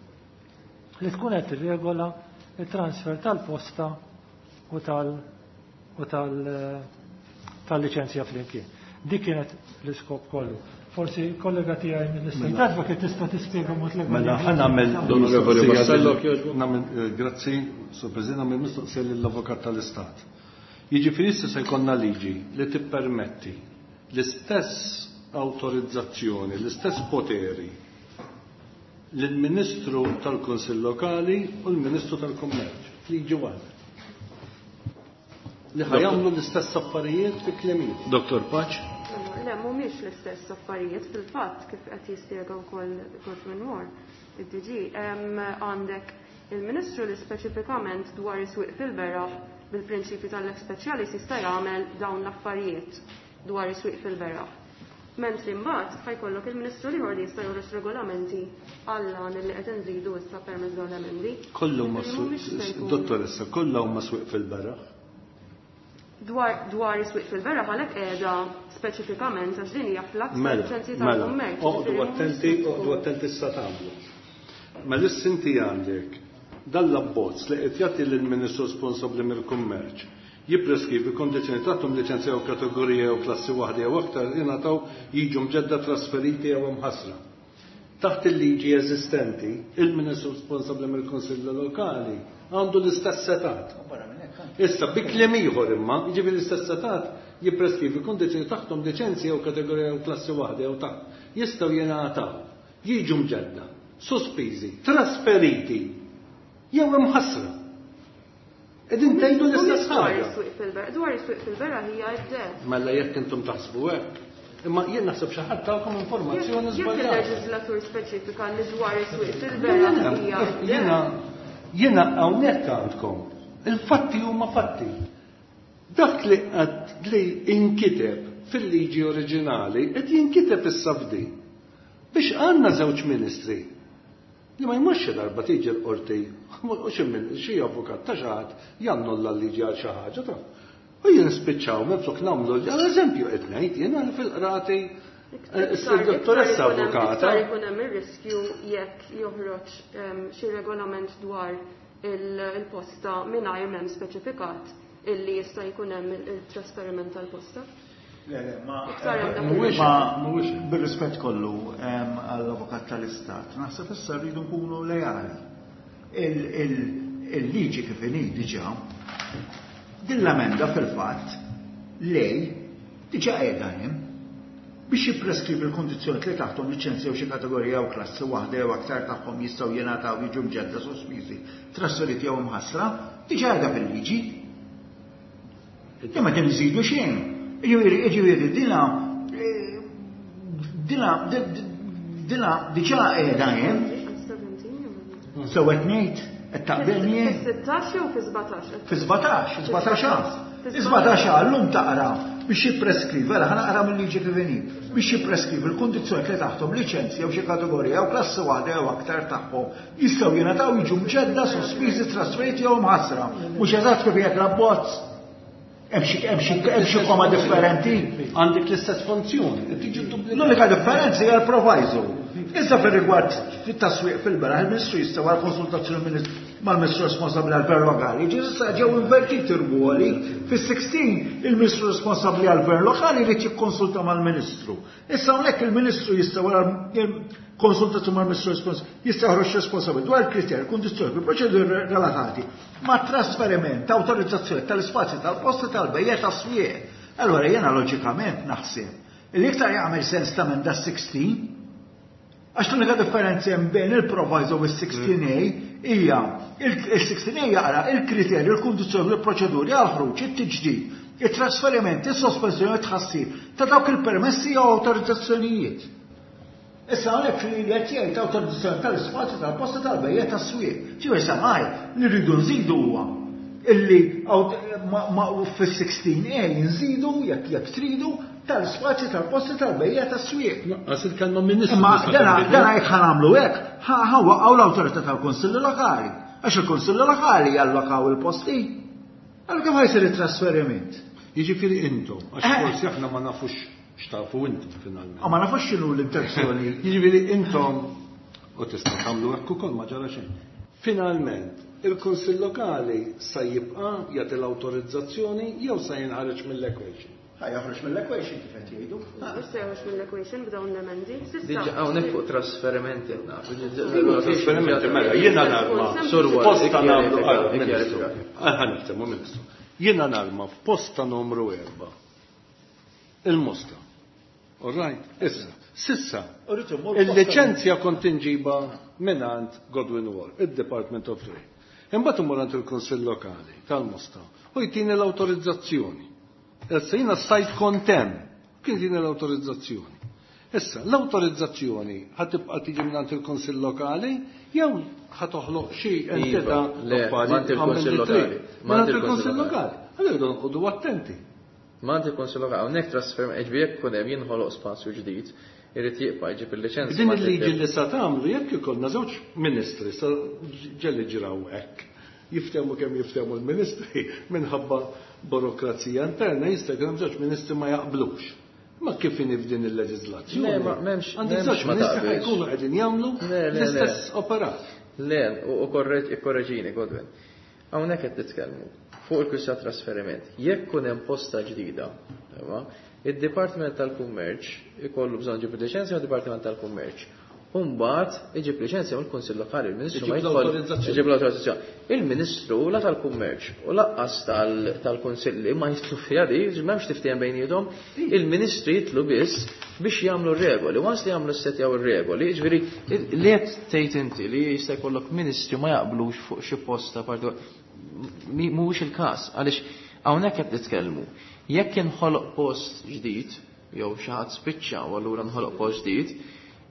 li tkun qed tirregola il-transfer tal-posta u tal u tal tal-liċenzja flimkien. Dik kienet l-iskop kollu. Forsi kollega tiegħi mill-Istat Advocate tista' tispjega mod legali. Mela ħa nagħmel L-Onorevoli Vassallo, jogħġbu. Nagħmel eh, grazzi, Sur President, nagħmel mistoqsija lill-Avukat tal-Istat. Jiġifieri issa se jkollna liġi li tippermetti l-istess awtorizzazzjoni, l-istess poteri lill-Ministru tal-Kunsill Lokali u l-Ministru tal-Kummerċ. Liġi waħda. Li ħa jagħmlu l-istess affarijiet fi kliem ieħor. Dottor Pace. Le, mhumiex l-istess affarijiet fil-fatt kif qed jispjega wkoll Godwin Moore, id-D G. Għandek il-Ministru li speċifikament dwar is-swieq fil-beraħ bil-prinċipju tal-lex specialis jista' jagħmel dawn l-affarijiet dwar is-swieq fil-beraħ. Mentri mbagħad ħa jkollok il-Ministru ieħor li jista' joħroġ regolamenti għall li qed inżidu issa permezz dawn l-emendi. Kollu huma Ġifieri mhumiex se jkunu- Dottoressa, kollha huma swieq fil-beraħ. Dwar dwar is-swieq fil-beraħ għalhekk qiegħda speċifikament għax din hija fl-att Mela, liċenzji mela, tal-kummerċ. oqdu Ġifieri attenti, mhumiex se oqdu tkun- attenti issa tagħmlu. Mela issa inti għandek dan l-abbozz li qed jagħti lill-Ministru responsabbli mill-kummerċ jippreskrivi kondizzjoni tagħhom liċenzja jew kategorija jew klassi waħda jew aktar jingħataw, jiġu mġedda, trasferiti jew imħassra. Taħt il-liġi eżistenti, il-Ministru responsabbli mill-Kunsill Lokali għandu l-istess setat. Issa, bi kliem ieħor imma, jiġifieri l-istess setat jippreskrivi kondizzjoni taħthom liċenzja jew kategorija jew klassi waħda jew taħt. Jistgħu jingħataw, jiġu mġedda, sospiżi, trasferiti jew imħassra. Qegħdin tgħidu l-istess Mhumiex dwar ħaġa. is-swieq fil-beraħ, dwar is-swieq fil-beraħ hija d Mela jekk intom taħsbu hekk. Imma jien naħseb xi ħadd tagħkom informazzjoni Jekk żbaljata. il-leġislatur speċifika li dwar is-swieq fil-beraħ hija Jiena jiena hawnhekk għandkom. Il-fatti huma fatti. Dak li qed li inkiteb fil-liġi oriġinali qed jinkiteb issa f'din. Biex għandna żewġ ministri li ma jmurx xi darba tiġi l-qorti u xi min xi avukat ta' xi ħadd jannulla l-liġi għal xi ħaġa ta' U jien spiċċaw minflok nagħmlu għal eżempju qed ngħid jiena li fil-qrati eh, dottoressa avukata. Iktar ikun hemm ir-riskju jekk joħroġ em, xi regolament dwar il- il-posta mingħajr m'hemm speċifikat illi jista' jkun hemm il-trasferiment tal-posta. Le, le, ma Iktar hemm dak Mhuwiex Ma mhuwiex bir-rispett kollu em, għall-avukat tal-Istat, naħseb issa rridu nkunu lejali. Il- il- Il-liġi kif inhi diġà, din l-emenda fil-fatt lej diġà qiegħda hemm biex jippreskrivi l-kondizzjoni li taħthom liċenzja jew xi kategorija jew klassi waħda jew aktar tagħhom jistgħu jingħataw, jiġu mġedda, sospiżi, trasferiti jew imħassra, diġà qiegħda fil-liġi. Imma din nżidu xejn. Jiġifieri, jiġifieri dina eh, dina dina diġà qiegħda hemm. So qed ngħid qed taqbilni Fis-sittax jew fi sbatax? Fi sbatax, sbatax A. Sbatax A llum taqra biex jippreskrivi, mela ħa naqra mill-liġi kif inhi, biex jippreskrivi l-kondizzjoni li taħthom liċenzja jew xi kategorija jew klassi waħda jew aktar tagħhom jistgħu jingħataw, jiġu mġedda, sospiżi, trasferiti jew mħassra. Mhux eżatt kif jgħid l-abbozz. Hemm xi hemm xi hemm xi koma differenti. Għandek l-istess funzjoni, qed tiġi duplikata. L-unika differenza hija l-proviso. Issa fir-rigward fit-taswiq fil-beraħ, il-Ministru jista' wara konsultazzjoni mal-Ministru responsabbli għall-Gvern Lokali. Ġi issa ġew invertiti r-ruoli. Fis-sittax il-Ministru responsabbli għall-Gvern Lokali jrid jikkonsulta mal-Ministru. Issa hawnhekk il-Ministru jista' wara konsultazzjoni mal-Ministru responsabbli jista' joħroġ responsabbli dwar il-kriterji, kundizzjoni, proċeduri relatati ma' trasferiment ta' awtorizzazzjoni tal-ispazji tal-posti tal-bejjet tas-swieq. Allora jiena loġikament naħseb li iktar jagħmel sens ta' minn da sittax, għax l-unika differenza hemm bejn il-proviso u s-sittax A hija il-sittax A jaqra il-kriterji, il-kundizzjoni, il-proċeduri għal ħruġ, it-tiġdid, it-trasferiment, is-sospensjoni, it-tħassir ta' dawk il-permessi jew awtorizzazzjonijiet. Issa hawnhekk li qed jgħid awtorizzazzjoni tal-ispazju tal-posti tal-bejjet tas-swieq. Ġifieri samaj li rridu nżidu huwa illi fis-sittax A nżidu jekk jekk tridu tal-spazju tal-posti tal-bejja tas-swieq. Naqqas il-kelma ministru. Imma dana dana jekk ħa nagħmlu hekk, ħa waqqgħu l-awtorità tal-Kunsilli Lokali. Għax il-Kunsilli Lokali jallokaw il-posti. Allora kif ħa jsir it-trasferiment? Jiġifieri intom, għax forsi aħna ma nafux x'tafu intom finalment. Ma nafux x'inhu l-intenzjoni. Jiġifieri intom u tista' tagħmlu hekk ukoll ma ġara xejn. Finalment, il-Kunsill Lokali sa jibqa' jagħti l-awtorizzazzjoni jew sa jinħareġ mill-equation? Ħa joħroġ mill-equation kif qed jgħidu. Mhux se joħroġ mill-equation b'dawn l-emendi. Diġà hawnhekk fuq trasferimenti qed nagħmlu. Trasferimenti mela jiena narma. Posta nagħmlu Ministru. Ħa niftehmu Ministru. Jiena narma f'posta numru erba'. Il-Mosta. All right, issa, sissa, il-liċenzja kont inġiba mingħand Godwin Wall, il-Department of Trade. Imbagħad immur għand il-Kunsill Lokali tal-Mosta u jtini l-awtorizzazzjoni. Issa jiena stajt kont hemm, kien jtini l-awtorizzazzjoni. Issa, l-awtorizzazzjoni ħa tibqa' tiġi mingħand il-Kunsill Lokali jew ħa toħloq xi entità mingħand il-Kunsill Lokali. Mingħand il-Kunsill Lokali. Allura noqogħdu attenti. Mingħand il-Kunsill Lokali, hawnhekk trasferiment, ġifieri jekk ikun hemm jinħoloq spazju ġdid, irid jibqa' jġib il-liċenzja. Din il-liġi li sa tagħmlu jekk ikollna żewġ ministri sa ġelli ġraw hekk. Jiftehmu kemm jiftehmu l-ministri minħabba burokrazija interna jista' jkun hemm żewġ ministri ma jaqblux. Ma kif inhi f'din il-leġiżlazzjoni? Le, ma m'hemmx Għandek żewġ ministri ħa jkunu qegħdin jagħmlu l-istess operat. Le, u korreġini, Godwin. Hawnhekk qed nitkellmu fuq il-kwistjoni trasferiment. Jekk kun hemm posta ġdida, id-Dipartiment tal-Kummerċ ikollu bżonn ġib liċenzja mad-Dipartiment tal-Kummerċ. Umbagħad iġib liċenzja mill-Kunsill Lokali, il-Ministru ma jidħol iġib l-awtorizzazzjoni. Il-Ministru la tal-Kummerċ u lanqas tal-Kunsilli ma jidħlu fiha di, m'hemmx tiftehim bejniethom, il-Ministri jidħlu biss biex jagħmlu r-regoli. Once li jagħmlu ssetjaw ir-regoli, jiġifieri li qed tgħid inti li jista' jkollok ministri ma jaqblux fuq xi posta partikolari. Mhuwiex il-każ, għaliex hawnhekk qed nitkellmu. Jekk inħoloq post ġdid, jew xi ħadd spiċċa u allura nħoloq post ġdid,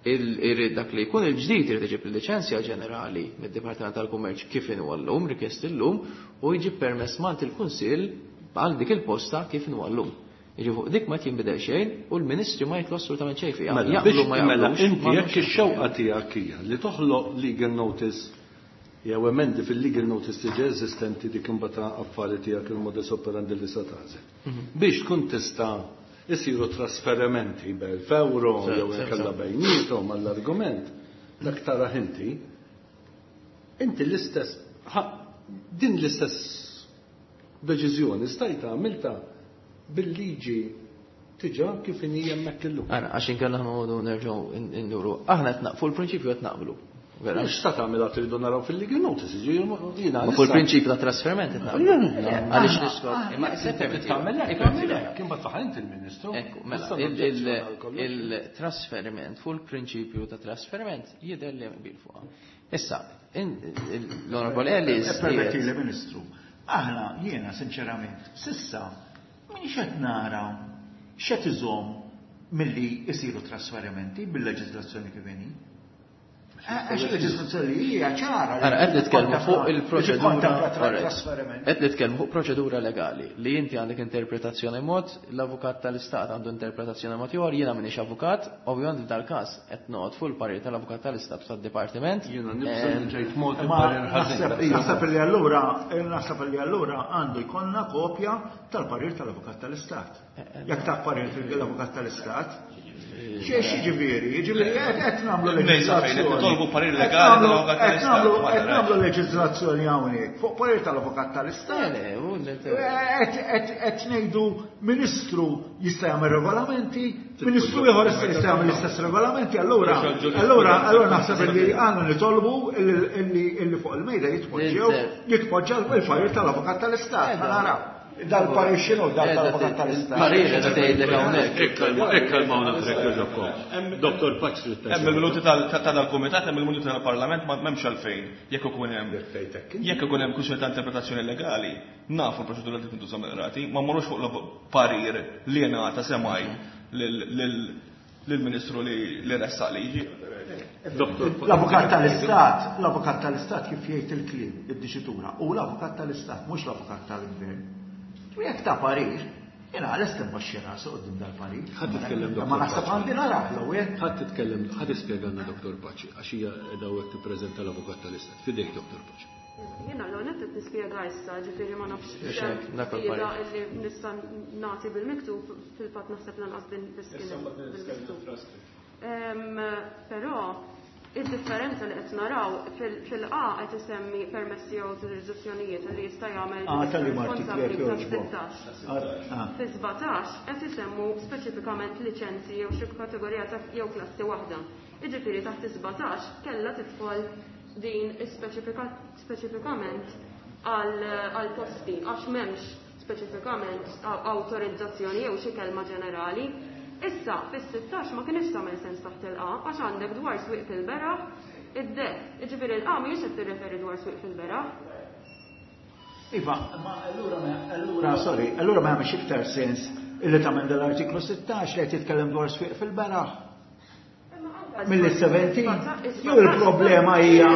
irrid dak li jkun il-ġdid irid iġib il-liċenzja ġenerali mid-Dipartiment tal-Kummerċ kif inhu llum, rikjest illum, u jġib permess mant il-Kunsill għal dik il-posta kif inhu llum. Jiġi fuq dik ma jinbidel xejn u l-Ministri ma jitlu assolutament xejn fiha. Jaqblu ma jaqblux. Inti jekk ix-xewqa tiegħek hija li toħloq legal notice jew emendi fil-legal notice diġà eżistenti dik imbagħad affari tiegħek il-modus operandi li sa tagħżel. Biex tkun tista' isiru trasferimenti b'elf euro jew inkella bejniethom għall-argument, dak tara inti, inti l-istess din l-istess deċiżjoni stajta għamilta bil-liġi tiġa kif inhi hemmhekk illum. Ara, għax inkella noqogħdu nerġgħu nduru. Aħna qed naqfu l-prinċipju qed naqblu. Mhux sa tagħmilha tridu naraw fil-legal notice, jiġifieri jiena. Ma fuq il-prinċipju ta' trasferiment qed naqblu. Għaliex niskop. Imma se tagħmel hekk, tagħmel hekk, imbagħad faħ inti l-Ministru. Ekku, mela, il-trasferiment fuq il-prinċipju ta' trasferiment jidher li hemm qbil fuqha. Issa, l-Onorevole Ellis. Permetti li Ministru, aħna jiena sinċerament sissa minix qed nara x'qed iżomm milli jsiru trasferimenti bil-leġiżlazzjoni kif inhi. Għax il-leġiżlazzjoni hija ċara. Ara, qed nitkellmu fuq il-proċedura. Qed nitkellmu fuq proċedura legali li inti għandek interpretazzjoni mod, l-avukat tal-Istat għandu interpretazzjoni mod ieħor, jiena m'iniex avukat, ovvjament f'dal-każ qed noqgħod fuq il-parir tal-avukat tal-Istat tad-Dipartiment. Jiena nibża' li ġejt mod il-parir ħażin. Naħseb li allura, naħseb li allura għandu jkollna kopja tal-parir tal-avukat tal-Istat. Jekk ta' parir tal-avukat tal-Istat. Xiex ġifieri, ġifieri qed nagħmlu leġiżlazzjoni. Nitolbu parir legali tal-avukat tal-Istat. Qed nagħmlu leġiżlazzjoni hawnhekk fuq parir tal-avukat tal-Istat. Qed ngħidu ministru jista' jagħmel regolamenti, ministru ieħor jista' jagħmel l-istess regolamenti, allura allura allura naħseb li għandna nitolbu illi fuq il-mejda jitpoġġew jitpoġġa l-parir tal-avukat tal-Istat. Naraw. Dal-parir xinu, dal-avukat tal-Istat. Parir qed tgħidlek hawnhekk. Ikkalmawna f'rek Doktor Paċ. Hemm il-minuti tal-Kumitat, hemm il-minuti tal-Parlament, m'hemmx għalfejn. Jekk ikun hemm jekk ikun hemm kwistjoni ta' interpretazzjoni legali, nafu l-proċedura li tintuża mill-qrati, ma mmorrux fuq parir li ngħata semaj lill-Ministru li ressaq liġi. L-avukat tal-Istat, l-avukat tal-Istat kif jgħid il-kliem, id-diċitura, u l-avukat tal-Istat, mhux l-avukat tal-Gvern. U jekk ta' parir, jena għal-est imbaxxi rasu qudiem dal-parir. Ħadd titkellem Doktor. Ma naħseb għandi narah l-ewwel. Ħadd titkellem, ħadd ispjegalna Doktor Paċi, għax hija qiegħda hawnhekk tippreżenta l-avukat tal-Istat. Fidejk Doktor Paċi. Jiena l-għonet qed nispjega issa, ġifieri ma nafx jieda illi nista' nagħti bil-miktub, fil-fatt naħseb lanqas din biss kien bil-miktub. Però id-differenza li qed naraw fil-A qed isemmi permessi jew awtorizzazzjonijiet li jista' jagħmel responsabbli ta' sittax. Fi sbatax qed isemmu speċifikament liċenzji jew xi kategorija ta' jew klassi waħda. Jiġifieri taħt sbatax kellha tidħol din speċifikament għal posti għax m'hemmx speċifikament awtorizzazzjoni jew xi kelma ġenerali. Issa, fis-sittax ma kienx tagħmel sens taħt il-A għax għandek dwar swieq fil-beraħ id-de. Jiġifieri l-A mhijiex qed tirreferi dwar swieq fil-beraħ. Iva, ma allura allura sorry, allura ma jagħmilx iktar sens illi tagħmel dal-artiklu sittax li qed jitkellem dwar swieq fil-beraħ. Mill-seventeen, jew il-problema hija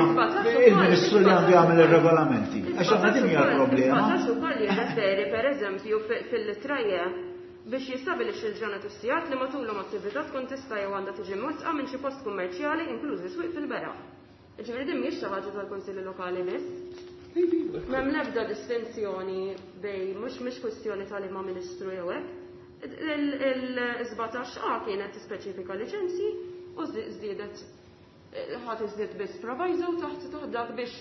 il-Ministru li għandu jagħmel ir-regolamenti. Għax għandna din hija l-problema. Sbatax ukoll jirreferi pereżempju fil-litraje biex jistabilixxi l-ġranet u s-sigħat li matulhom attività tkun tista' jew għandha tiġi mwettqa minn xi post kummerċjali inklużi swieq fil-beraħ. Jiġifieri din mhijiex xi ħaġa tal-Kunsilli Lokali biss. M'hemm l-ebda distinzjoni bej mhux mhix kwistjoni tal-imma ministru jew hekk. Il-sbatax A kienet tispeċifika liċenzji u żdiedet ħadd iżdied biss proviso taħt taħt dak biex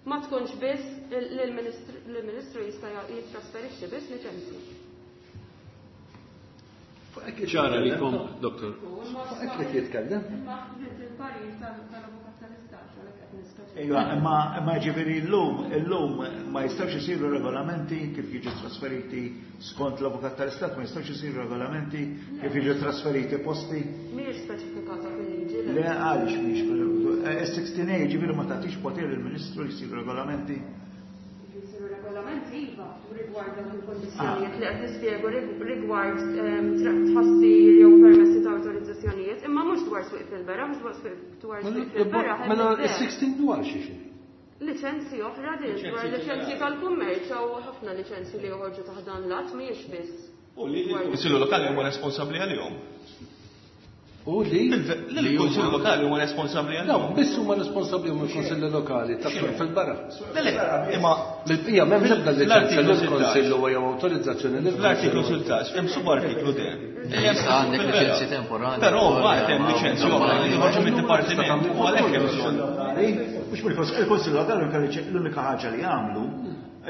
ma tkunx biss l-Ministru jista' jittrasferixxi biss liċenzji. Ċara li kom, doktor. Fuq qed jitkellem. Ejwa, imma imma ġifieri llum illum ma jistgħux isiru regolamenti kif jiġu trasferiti skont l-avukat tal-Istat, ma jistgħux isiru regolamenti kif jiġu trasferiti posti. Mhijiex speċifikata fil-liġi. Le għaliex mhijiex fil-sixteen A ġifieri ma tagħtix poter lill-Ministru li jsiru regolamenti. Jisiru regolamenti iva rigward dawk il-kondizzjonijiet li qed nispjegu rigward tħassir jew permessi ta' awtorizzazzjonijiet, imma mhux dwar swieq fil-beraħ, mhux dwar swieq dwar swieq fil-beraħ. Mela is-sixteen dwar xi xi. Liċenzji oħra din dwar liċenzji tal-kummerċ hawn ħafna liċenzji li joħorġu taħt dan l-att mhijiex biss. U li l-Kunsillu Lokali huma responsabbli għalihom. U li l-Kunsillu Lokali huma responsabbli għalihom. No, biss huma responsabbli huma l-Kunsilli Lokali ta' fil-beraħ. Le, le, imma mill-bqija m'hemm l-ebda liċenzja lill-Kunsill huwa jew awtorizzazzjoni lill L-artiklu sittax hemm subartiklu D. Issa għandek liċenzji temporani. Però mbagħad hemm liċenzji oħra li joħorġu mid-dipartiment u għalhekk hemm bżonn. Mhux mill-Kunsill Lokali l-unika ħaġa li jagħmlu,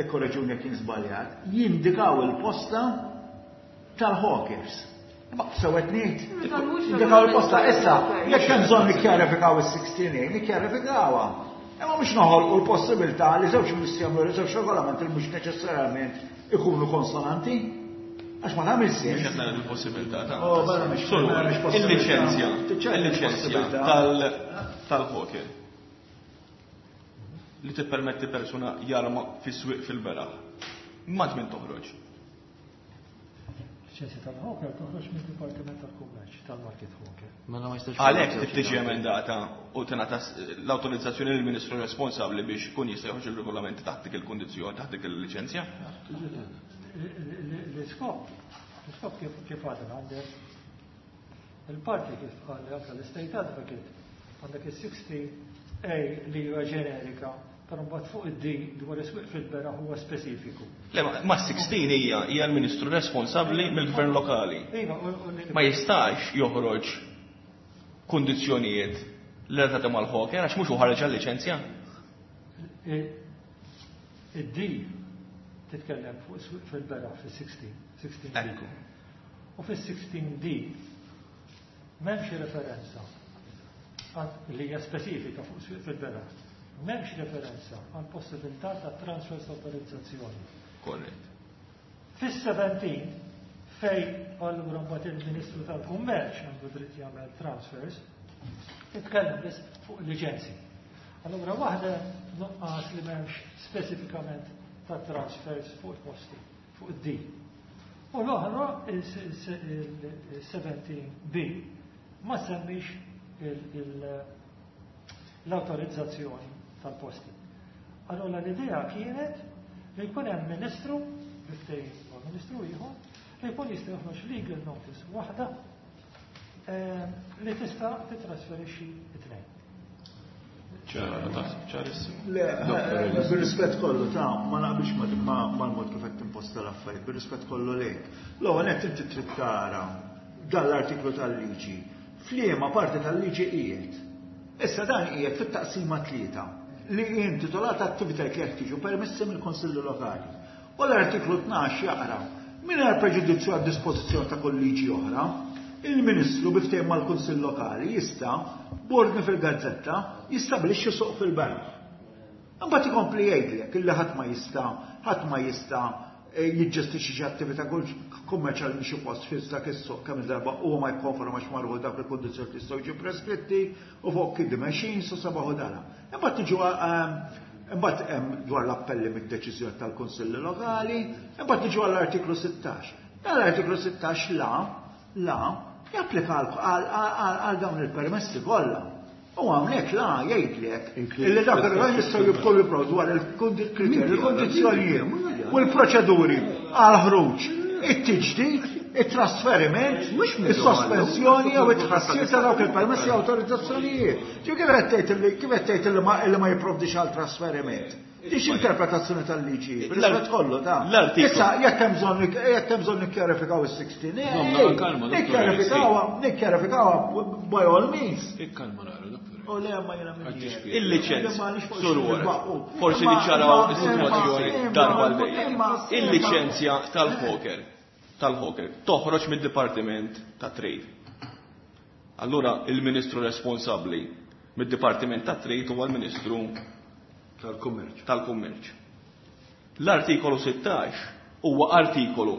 ikkoreġuni jekk jien żbaljat, jindikaw il-posta tal-hawkers. Sewet ngħid. Indikaw il-posta issa, jekk hemm bżonn nikkjarifikaw is-sixteen A, nikkjarifikawha. Imma mhux noħolqu l-possibilità li żewġ ministri jagħmlu żewġ regolamenti li mhux neċessarjament ikunu konsonanti. Għax ma tagħmel sens. Mhux qed nagħmel il-possibilità ta' Oh, mela mhix mhix il-liċenzja, il-liċenzja tal-hawker li tippermetti persuna jarma fis-swieq fil-beraħ. Ma tmin toħroġ. Liċenzja tal-hawker toħroġ mid-Dipartiment tal-Kummerċ tal-Market Hawker. Mela ma jistax. Għalhekk trid tiġi emendata u tingħata l-awtorizzazzjoni lill-Ministru responsabbli biex ikun jista' joħroġ il-regolamenti taħt dik il-kundizzjoni, taħt dik il-liċenzja. L-iskop, l-iskop kif għadna għandek il-parti kif qal anke l-State Advocate, għandek is-sixteen A li huwa ġenerika, Però mbagħad fuq id-D dwar is-swieq fil-beraħ huwa speċifiku. Le, ma sittax hija hija l-Ministru responsabbli mill-Gvern Lokali. Iva, Ma jistax joħroġ kundizzjonijiet li relatati mal-hawker għax mhux hu ħareġ għal-liċenzja. Id-D titkellem fuq is-swieq fil-beraħ fis-sittax, sittax D. Ekku. U fis-sittax D m'hemmx referenza li hija speċifika fuq swieq fil-beraħ. M'hemmx referenza għal possibilità ta' transfers autorizzazzjoni. Korrett. Fis-sebentax fej allura mbagħad il-Ministru tal-Kummerċ għandu dritt jagħmel transfers, titkellem biss fuq liċenzji. Allura waħda nuqqas li m'hemmx speċifikament ta' transfers fuq il-posti, fuq id-D. U l-oħra, il-seventeen B, ma semmix l-autorizzazzjoni tal-posti. Allora l-idea kienet li jkun hemm ministru, biftejn ma' ministru ieħor, li jkun jista' joħroġ legal notice waħda li tista' titrasferixxi it-tnejn. Ċara, ċarissimo. Le, bir-rispett kollu ta' ma naqbilx mal-mod kif qed timposta l-affarijiet, bir-rispett kollu lejk. L-ewwel qed inti trid tara dan l-artiklu tal-liġi. F'liema parti tal-liġi qiegħed. Issa dan qiegħed fit-taqsima tlieta li hi intitolata attivitajiet li jeħtieġu permessi mill-Konsilli Lokali. U l-artiklu tnax jaqra mingħajr preġudizzju għad dispożizzjoni ta' kull liġi oħra, il-Ministru bi ftehim mal-Kunsill Lokali jista' b'ordni fil-gazzetta jistabilixxi suq fil-beraħ. Imbagħad ikompli jgħidlek illi ħadd ma jista' ħadd ma jista' jiġġestixxi xi attività kummerċjali minn xi post fi dak is-suq kemm darba huwa ma jikkonformax marru dak il-kundizzjoni li jistgħu jiġu preskritti u fuq kiddie machines u sabaħu dara. Imbagħad tiġu imbagħad hemm dwar l-appelli mid-deċiżjoni tal-Kunsilli Lokali, imbagħad tiġu għall-artiklu sittax. Dan l-artiklu sittax la, la japplika għal dawn il-permessi kollha. U għamlek la jgħidlek illi dak ir-raġel jistgħu jibqgħu jipprovdu dwar il-kriterji, il-kondizzjonijiet u l-proċeduri għal ħruġ, it-tiġdid, it-trasferiment, is-sospensjoni jew it-tħassir ta' dawk il-permessi u awtorizzazzjonijiet. Ġew kif qed tgħid illi kif qed tgħid illi ma jipprovdix għal trasferiment? Dix interpretazzjoni tal-liġi, rispett kollu ta' Issa jekk hemm bżonn jekk hemm bżonn nikkjarifikaw is-sixteen, nikkjarifikawha, nikkjarifikawha by all means. Ikkalma nara, doktor. U le ma jiena minn Il-liċenzja, Sur forsi niċċaraw is-sitwazzjoni darba l-dejjem. Il-liċenzja tal-hawker, tal-hawker toħroġ mid-Dipartiment ta' Trade. Allura il-Ministru responsabbli mid-Dipartiment ta' Trade huwa l-Ministru tal-Kummerċ. Tal-Kummerċ. L-artikolu sittax huwa artikolu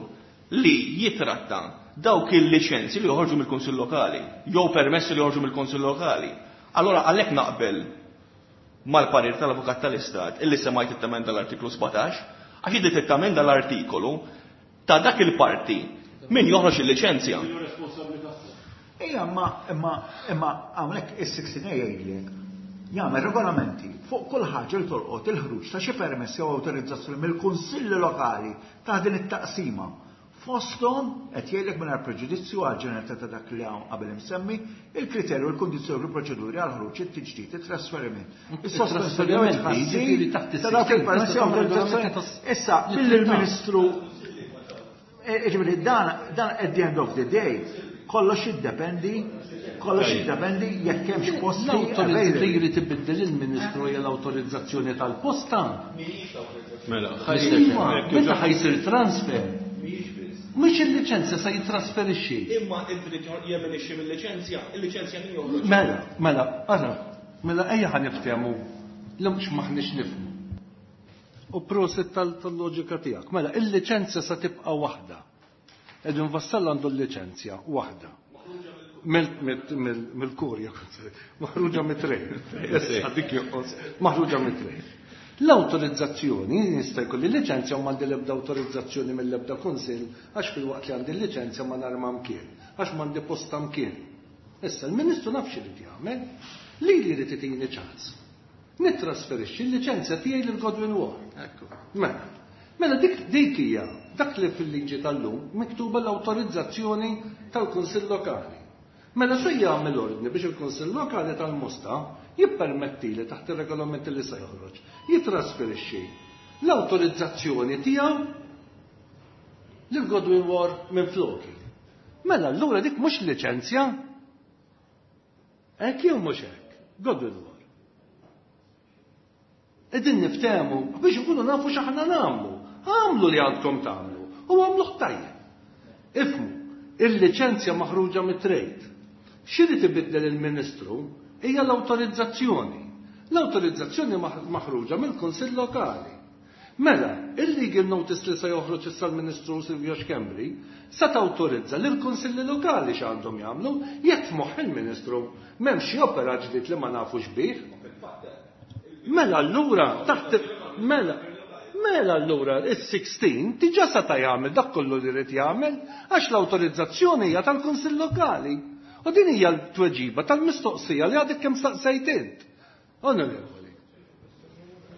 li jitratta dawk il-liċenzji li joħorġu mill-Kunsill Lokali, jew permessi li joħorġu mill-Kunsill Lokali. Allora għalhekk naqbel mal-parir tal-Avukat tal-Istat illi semajt it-temenda l-artiklu sbatax, għax inti tittamenda l-artikolu ta' dak il-parti min joħroġ il-liċenzja. Ejja, imma imma imma hawnhekk is-sixteen A jgħidlek jagħmel regolamenti fuq kull ħaġa li tolqot il-ħruġ ta' xi permessi jew awtorizzazzjoni mill-kunsilli lokali ta' din it-taqsima. Fosthom qed jgħidlek mingħajr preġudizzju għal ġeneralità ta' dak li hawn qabel imsemmi, il-kriterju, il-kundizzjoni u l-proċeduri għal ħruġ, it-tiġdid, it-trasferiment, is-sospensjoni jew it-tħassir ta' dawk il-permessi jew awtorizzazzjoni. Issa, billi l-Ministru, jiġifieri dan dan at the end of the day, kollox jiddependi, kollox jiddependi jekk hemmx posti L-awtorizzazzjoni li jrid ibiddel il-Ministru hija l-awtorizzazzjoni tal-posta. Mela, Iva, meta ħajsir transfer. Mhux il-liċenzja se jitrasferixxi. Imma id-dritt jemenixxi mill-liċenzja, il-liċenzja min joħroġ. Mela, mela, ara, mela ejja ħa niftehmu li mhux maħniex nifhmu. U prosit tal-loġika tiegħek. Mela, il-liċenzja se tibqa' waħda. Edwin Vassallo għandu l-liċenzja waħda. Mill-kurja, maħruġa mit-trade. Issa dik joqgħod, maħruġa mit-trade. L-awtorizzazzjoni, jista' jkolli liċenzja u m'għandi l-ebda awtorizzazzjoni mill-ebda kunsill, għax fil-waqt li għandi l-liċenzja ma narma mkien, għax m'għandi posta mkien. Issa l-Ministru nafx irid jagħmel, li li jrid itini ċans. Nittrasferixxi l-liċenzja tiegħi lil Godwin Ward. Ekku. Mela, mela dik dik hija dak li fil-liġi tal-lum miktuba l-awtorizzazzjoni tal-Kunsill Lokali. Mela se jagħmel ordni biex il-Kunsill Lokali tal-Mosta jippermetti li taħt ir-regolament li se joħroġ jitrasferixxi l-awtorizzazzjoni tiegħu lil Godwin War minn floki. Mela allura dik mhux liċenzja. Hekk jew mhux hekk? Godwin War. Qegħdin niftehmu biex ikunu nafu x'aħna nagħmlu. Għamlu li għandkom tagħmlu u għamluh tajjeb. Ifhmu, il-liċenzja maħruġa mit-trade. X'irid ibiddel il-Ministru hija l-awtorizzazzjoni. L-awtorizzazzjoni maħruġa mill-Kunsill Lokali. Mela, il-legal notice li se joħroġ issa l-Ministru Silvio Schembri se tawtorizza lil kunsilli lokali x'għandhom jagħmlu jekk f'moħħ il-Ministru m'hemm xi opera ġdid li ma nafux bih. Mela allura taħt mela mela allura is-sixteen diġà seta' jagħmel dak kollu li jrid jagħmel għax l-awtorizzazzjoni hija tal-Kunsill Lokali. U din hija l-tweġiba tal-mistoqsija li għadek kemm staqsejt int. Onorevoli.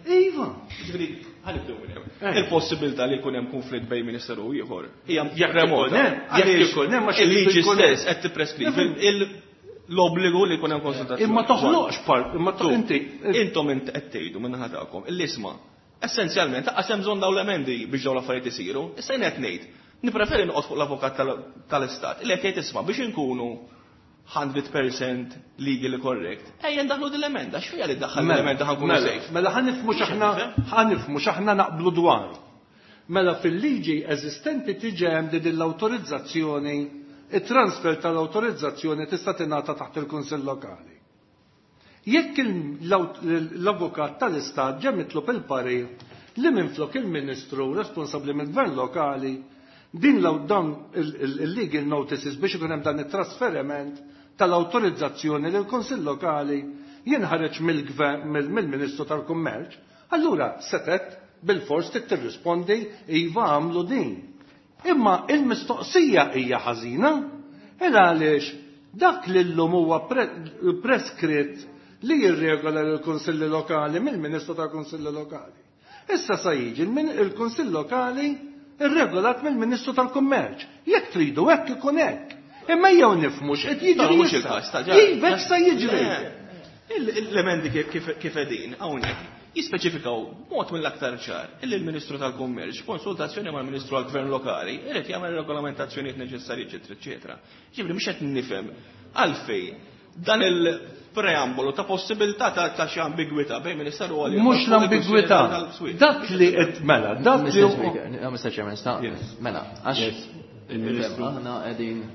Iva. Ġifieri, ħanibdew minn hemm. Il-possibilità li jkun hemm konflitt bejn ministeru u ieħor hija remota. Jekk ikun hemm għax il-liġi stess qed tippreskrivi l-obbligu li jkun hemm konsultazzjoni. Imma toħloqx part, imma inti intom int qed tgħidu minn naħa tagħkom il-isma. Essenzjalment aqas hemm bżonn dawn l-emendi biex dawn l-affarijiet isiru. Issa jien qed ngħid, nippreferi noqgħod fuq l-avukat tal-Istat li qed jgħid isma' biex inkunu hundred percent legally correct. Ejja ndaħlu din l-emenda, x'fija li ddaħħal l-emenda ħankunu safe. Mela ħanifmu x'aħna ħanifmu x'aħna naqblu dwar. Mela fil-liġi eżistenti tiġi hemm din l-awtorizzazzjoni, it-transfer tal-awtorizzazzjoni tista' tingħata taħt il-Kunsill Lokali. Jekk l-avukat tal-Istat ġe mitlob il-parir li minflok il-Ministru responsabbli mill-Gvern Lokali din dan il-legal notices biex ikun hemm dan it-trasferiment tal-awtorizzazzjoni lil kunsill Lokali jinħareġ mill-Ministru tal-Kummerċ, allura setet bil-fors trid tirrispondi iva għamlu din. Imma il-mistoqsija hija ħażina, il għaliex dak li llum huwa preskritt li jirregola l-Kunsilli Lokali mill-Ministru tal-Kunsilli Lokali. Issa sa jiġi il-Kunsill Lokali irregolat mill-Ministru tal-Kummerċ. Jekk tridu hekk ikun hekk. Imma jew nifhmu x'qed jiġri. Mhux il-każ ta' Iva sa jiġri. L-emendi kif qegħdin hawnhekk jispeċifikaw b'mod mill-aktar ċar illi l-Ministru tal-Kummerċ konsultazzjoni mal-Ministru għall-Gvern Lokali irid jagħmel regolamentazzjonijiet neċessarji eċetera eċetera. Ġifieri mhux qed nifhem għalfejn dan il-preambolu ta' possibilità ta' xi ambigwità bejn Ministeru għal Mhux l-ambigwità. Dak li qed mela, dak li Mister Chairman, mela, għax il-Ministru aħna qegħdin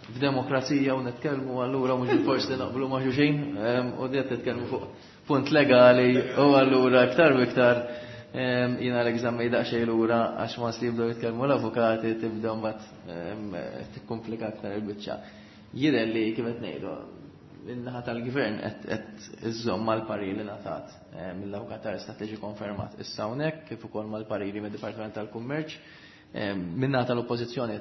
f'demokrazija u nitkellmu allura mhux forsi naqblu ma' xulxin u qed nitkellmu fuq punt legali u allura iktar u iktar jiena l-eżami daqsxejn lura għax ma jibdew jitkellmu l-avukati tibdew mbagħad tikkomplika aktar il-biċċa. Jidher li kif qed ngħidu in-naħa tal-gvern qed iżżomm mal-pariri li ngħatat mill-avukat tal-Istat li ġie konfermat issa hawnhekk kif ukoll mal-pariri mid-Dipartiment tal-Kummerċ. Min-naħa tal-Oppożizzjoni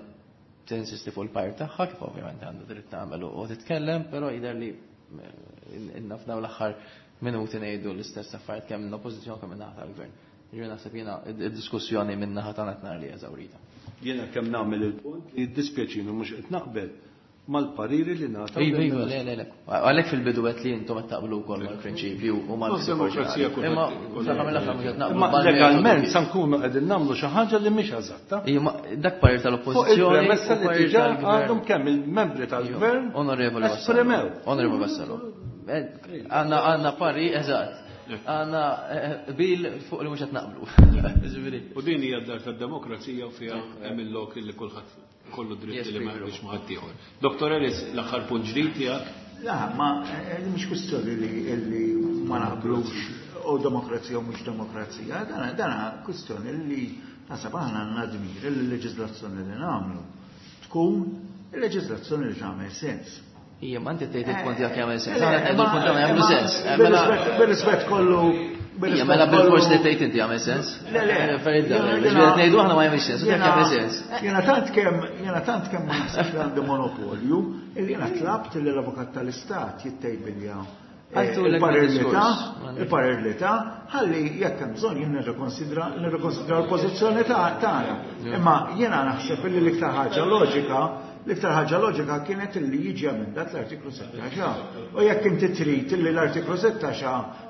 tinsisti fuq il-parir tagħha kif ovvjament għandu dritt tagħmel u titkellem, però jidher li inna f'dawn l-aħħar minuti ngħidu l-istess affarijiet kemm l-Oppożizzjoni kemm min-naħa tal-Gvern. Ġifieri naħseb jiena id-diskussjoni min-naħa tagħna qed nara li eżawrita. Jiena kemm nagħmel il-punt li jiddispjaċini mhux qed naqbel mal-pariri li nagħtaw. Iva, iva, le, le, le. Għalhekk fil-bidu qed li intom qed taqblu wkoll mal-prinċipju u mal-demokrazija. Imma Imma legalment sa nkunu qegħdin nagħmlu xi ħaġa li mhix eżatta. Ija, dak parir tal-Oppożizzjoni. Fuq il-premessa li diġà għadhom kemm il-membri tal-Gvern Onorevoli esprimew. Onorevoli Vassallo. Għandna għandna pari eżatt. Għandna bil fuq li mhux qed naqblu. U din hija d-dar tad-demokrazija u fiha hemm il-lok li kulħadd kollu dritt li ma jaqbilx ma' ħaddieħor. Doktor Ellis, l-aħħar punt ġdid tiegħek? La, ma mhix kwistjoni li ma naqblux u demokrazija u mhux demokrazija, dana kwistjoni li naħseb aħna għandna dmir li l-leġiżlazzjoni li nagħmlu tkun il-leġiżlazzjoni li tagħmel sens. Ija, ma inti tgħid il-punt tiegħek jagħmel sens. Aħna qed il-punt tagħna jagħmlu sens. Bir-rispett kollu. Ija, mela bil-fors li tgħid inti jagħmel sens. Le, le. Ġifieri qed ngħidu aħna ma jagħmilx sens, u jekk jagħmel sens. Jiena tant kemm jiena tant kemm ma naħsibx li għandi monopolju, illi jiena tlabt li l-Avukat tal-Istat jittejbilja il-parir li ta, il-parir li ta, ħalli jekk hemm bżonn jien nirrikonsidra nirrikonsidra l-pożizzjoni tagħna. Imma jiena naħseb li l-iktar ħaġa loġika L-iktar ħaġa loġika kienet li jiġi emendat l-artiklu sittax. U jekk inti trid li l-artiklu sittax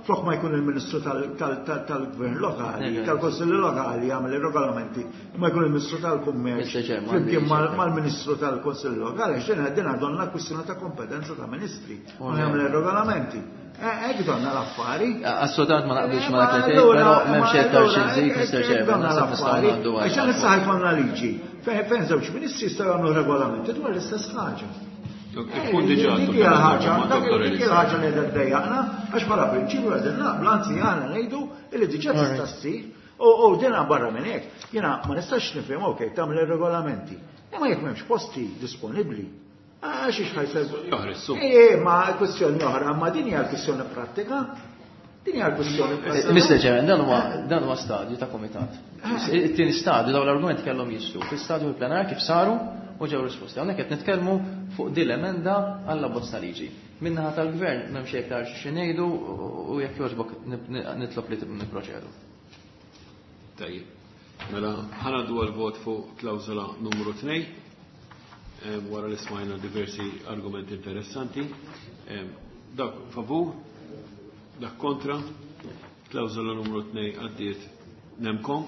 flok ma jkun il-Ministru tal-Gvern Lokali, tal-Kunsilli Lokali jagħmel ir-regolamenti, ma jkun il-Ministru tal-Kummerċ flimkien mal-Ministru tal-Kunsilli Lokali, għax din għadonna kwistjoni ta' kompetenza ta' ministri u jagħmel ir-regolamenti. Hekk donna l-affari. Assolutament ma naqbilx ma dak li tgħid, però m'hemmx iktar xi nżid, Mister Chairman, naħseb nistgħu ngħaddu għal. Għax issa ħajkonna liġi fejn żewġ ministri jistgħu jagħmlu regolamenti dwar l-istess ħaġa. Ikun diġà Dik hija l-ħaġa, dik hija l-ħaġa li qiegħda ddejjaqna, għax bħala prinċipju qegħdin naqblu, anzi aħna ngħidu li diġà tista' ssir. U dina barra minn hekk, jiena ma nistax nifhem, okej, tagħmel ir-regolamenti. Imma jekk m'hemmx posti disponibbli, għax ix ħajservu. Oħra, su. Eh, ma kwestjoni oħra, ma din hija l-kwestjoni prattika. Din hija l-kwestjoni prattika. Mister Chairman, dan huwa dan huwa stadju ta' komitat. It-tieni stadju dawn l-argumenti kellhom jisru fil-stadju plenar kif saru u ġew risposti. Hawnhekk qed nitkellmu fuq din l-emenda għall abbozz ta' liġi. Min-naħa tal-gvern m'hemm xejn iktar xi ngħidu u jekk jogħġbok nitlob li nipproċedu. Tajjeb. Mela ħanaddu għal-vot fuq klawżola numru tnejn. Wara li smajna diversi argumenti interessanti. Dak favur, dak kontra, klawżola numru tnejn għaddiet nemkom.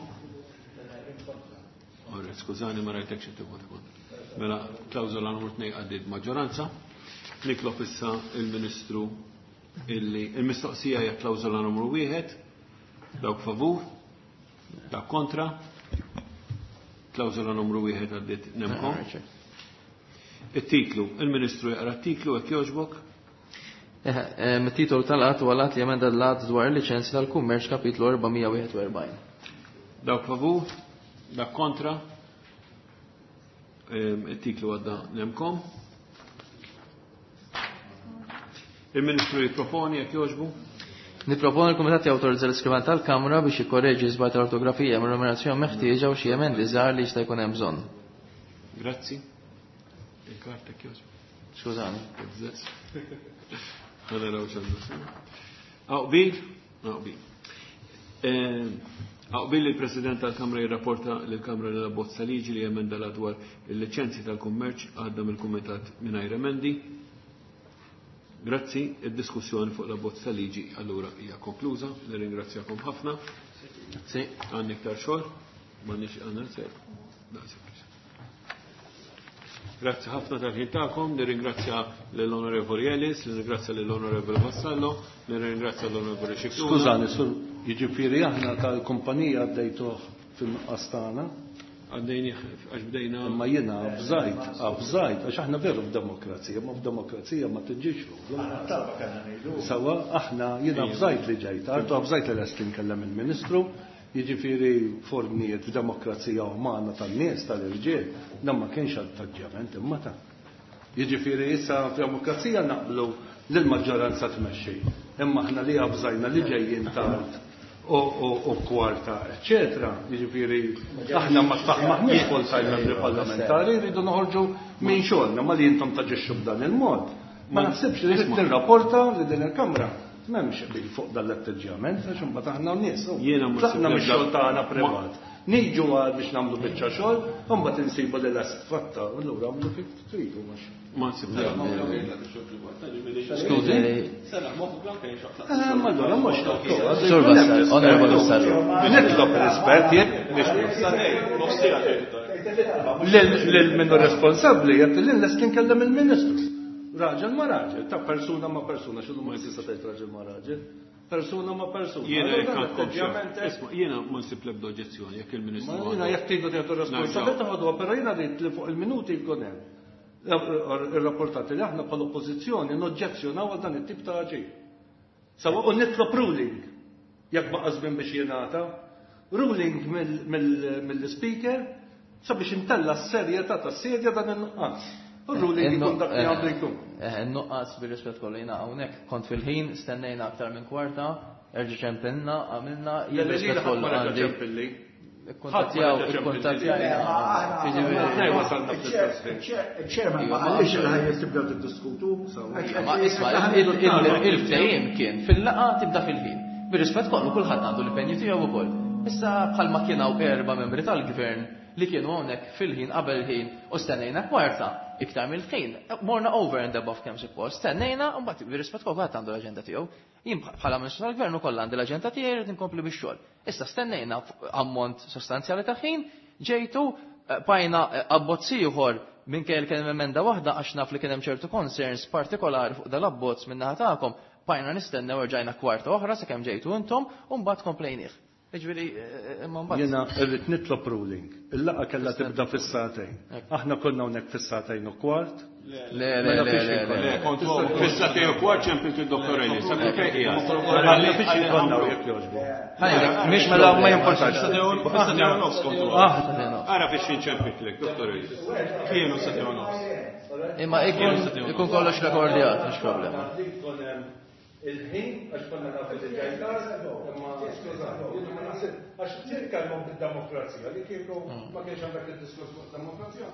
Ora, skużani ma rajtek xi tivvota kontra. Mela klawżola numru tnejn għaddiet maġġoranza. Nitlob issa il-Ministru illi il-mistoqsija hija klawżola numru wieħed, dawk favur, dak kontra, klawżola numru wieħed għaddiet nemkom. Il-titlu, il-Ministru jaqra t-titlu, jekk jogħġbok. Il-titolu tal-att huwa l-att li jemenda l-att dwar il-liċenzji tal-kummerċ kapitlu erba' mija wieħed u erbgħin. Dawk favur, dak kontra. Il-titlu għadda nemkom. Il-Ministru jipproponi, jekk jogħġbu. Niproponi l-Kumitat jawtorizza l-iskrivan tal-Kamra biex jikkorreġi żball tal-ortografija mir-numerazzjoni meħtieġa u xi emendi żgħar li jista' jkun hemm bżonn. Grazzi. Il-karta kjoġ. Skużani. Ħana raw xandu. Aqbil? Aqbil. Aqbil il-President tal-Kamra jirrapporta lill-Kamra li l-abbozz ta' liġi li jemenda l dwar il-liċenzji tal-kummerċ għadda mill-Kumitat mingħajr emendi. Grazzi, id-diskussjoni fuq l-abbozz ta' liġi allura hija konkluża. Nirringrazzjakom ħafna. Sì. Għandna iktar xogħol, m'għandniex għandna sew. Daqshekk. Grazzi ħafna tal-ħin tagħkom, nirringrazzja lill-Onorevoli Ellis, nirringrazzja lill-Onorevoli Vassallo, nirringrazzja l-Onorevoli Scicluna. Skużani, sur, jiġifieri aħna tal-kumpanija għaddejtuh fil-nuqqas tagħna. Għaddejni għax bdejna. Imma jiena avżajt, avżajt, għax aħna veru f'demokrazija, ma f'demokrazija ma tiġix ruħu. Aħna talba kellna ngħidu. Sawa, aħna jiena avżajt li ġejt, għartu avżajt li lest li nkellem il-Ministru, jiġifieri fornijiet f'demokrazija umana tan-nies tal-irġiel, dan ma kienx attaġġjament imma ta'. Jiġifieri issa f'demokrazija naqblu li l-maġġoranza tmexxi, imma aħna li avżajna li ġejjin tard u kwarta, eċċetera. Jiġifieri aħna ma maħniex full-time membri parlamentari, rridu noħorġu minn xogħolna, ma li intom taġixxu b'dan il-mod. Ma naħsibx li trid tirrapporta li din il-Kamra m'hemmx qbil fuq dan l-atteġġjament, għax imbagħad aħna nies. Jiena ma Tlaqna nsib mix-xogħol l-ebda- tagħna privat. Niġu għal biex nagħmlu biċċa xogħol, u mbagħad insibu li lest fatta, u allura għamlu kif tridu mhux. Ma nsib l-ebda. Skużi. Eh, ma allura mhux doktor. Sur Vassallo, Onorevoli Vassallo. Nitlob rispett jien biex Lil minnu responsabbli jgħid li lest nkellem il-Ministru. Raġel ma raġel, ta' persuna ma persuna, x'inhu ma tista' tgħid raġel ma raġel? Persuna ma persuna. Jiena Allura jekk dan għandkom xi- atteġġjament hekk. Isma', jiena ma nsib l-ebda oġġezzjoni jekk il-Ministru Ma jiena għandu- jekk tridu tieħdu responsabilità ħoduha, però jiena rrid li fuq il-minuti jkun hemm. Ir-rapportati li aħna bħala oppożizzjoni noġġezzjonaw għal dan it-tip ta' aġir. Sawa u nitlob ruling jekk baqa' żmien biex jingħata. Ruling mill-speaker sabiex intella s-serjetà tas-sedja dan in-nuqqas. U ruling ikun dak li għandu jkun. In-nuqqas bir-rispett kollu jiena hawnhekk kont fil-ħin, stennejna aktar minn kwarta, erġa' ċempilna, għamilna, jien Le, le, rispett lili ħadd kollu ma reġa' għandi. ċempilli. Ikkuntattjaw, Ħadd ma reġa' ikkuntattjajna. Tnejn wasalna fl-istess ħin. Il-chairman ma qalix li ħajja tibdew tiddiskutu. Ma isma' il-ftehim kien fil-laqgħa tibda fil-ħin. Bir-rispett kollu kulħadd għandu l-impenju tiegħu wkoll. Issa bħalma kien hawn erba' membri tal-gvern li kienu hawnhekk fil-ħin qabel il-ħin u stennejna kwarta iktar mill-ħin. Morna over and above kemm suppost, stennejna u mbagħad bir-rispett kulħadd għandu l-aġenda tiegħu. Jien bħala Ministru tal-Gvern ukoll għandi l-aġenda tiegħi rrid inkompli bix-xogħol. Issa stennejna ammont sostanzjali ta' ħin, ġejtu bajna abbozz ieħor minkejja li kien hemm emenda waħda għax naf li kien hemm ċertu concerns partikolari fuq dal-abbozz min-naħa tagħkom, bajna nistennew rġajna kwarta oħra sakemm ġejtu intom u mbagħad komplejnieh. Jiġifieri imma mbagħad. Jiena rrid nitlob ruling. Il-laqgħa kellha tibda fis-sagħtejn. Aħna konna hawnhekk fis-sagħtejn u kwart. Le, le, le, le, le, kont fis-sagħtejn u kwart ċempilt id-Dottor Ellis. Sa kif qiegħed? Mela fiex konna jekk jogħġbu. Mhix mela ma jimportax. Fis-sagħtejn u nofs kontu. Ara fiex inċempitlek, Dottor Ellis. Kienu sagħtejn u nofs. Imma ikun kollox rekordjat, mhux problema. Il-ħin, għax konna nafu li ġej tard, imma skużani, jiena ma naħseb, għax nitkellmu bid-demokrazija, li kieku ma kienx għandek id-diskors fuq demokrazija.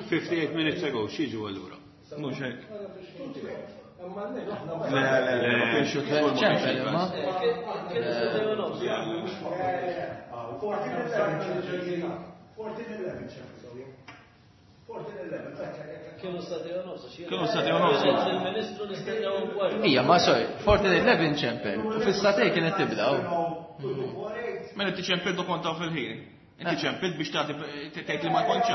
fifty-eight minutes ago, x'jiġu allura? Mhux hekk. Imma le, aħna Le, le, le, ma kienx ċempel imma. fourteen eleven ċempel. fourteen eleven, Kienu sagħtejn u nofs. Kienu sagħtejn u nofs. Il-Ministru nistennew kwart. Ija, ma sorry, fourteen eleven ċempel. U fis-sagħtejn kienet tibda. Mela inti ċempel do kontaw fil-ħin. Inti ċempel biex tagħti tgħid li ma kontx.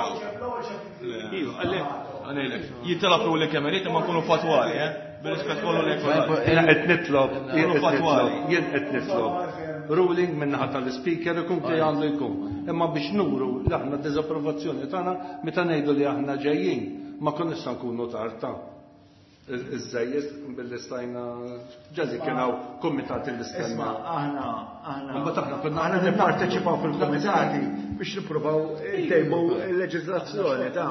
Iva, għalhekk. Għalhekk. Jittalab li kemm irid imma nkunu fatwali, eh? Bir-rispett kollu li jkun. Jiena qed nitlob, jien qed fatwali. nitlob, jien qed nitlob. Ruling min-naħa tal-speaker ikun li għandu jkun. Imma biex nuru li aħna diżapprovazzjoni tagħna meta ngħidu li aħna ġejjin, ma konniex se nkunu tard ta' iż-żejjed billi stajna ġalli kien hawn kumitati li stenna. Isma' aħna aħna Imbagħad aħna konna aħna nipparteċipaw fil-kumitati biex nippruvaw ntejbu l-leġiżlazzjoni ta'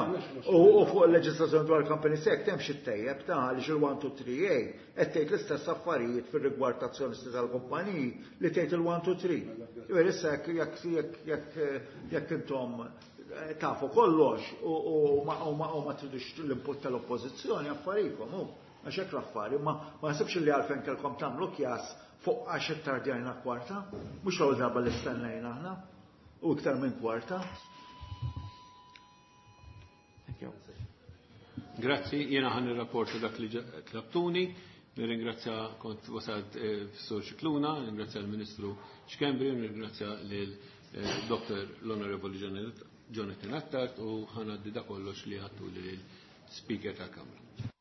u fuq il-leġiżlazzjoni dwar Company Act hemm xi tejjeb ta' għaliex il-one two three A qed tgħid l-istess affarijiet fir-rigward ta' azzjonisti tal-kumpaniji li tgħid il-one two three. Jiġifieri issa jekk jekk jekk jekk intom tafu kollox u ma tridux l-input tal-oppożizzjoni affarijietkom hu għax hekk l-affari, ma ma naħsibx li għalfejn kellkom tagħmlu kjas fuq għax ittardjajna kwarta, mhux l-ewwel darba li stennejna aħna u iktar minn kwarta. Thank you. Grazzi, jiena ħan nirrapporta dak li tlabtuni. Nirringrazzja kont wasalt f'Sur Scicluna, nirringrazzja l-Ministru Schembri, nirringrazzja lil Doktor l-Onorevoli Jonathan Attard u ħanaddi da kollox li ħattu lil speaker tal-Kamra.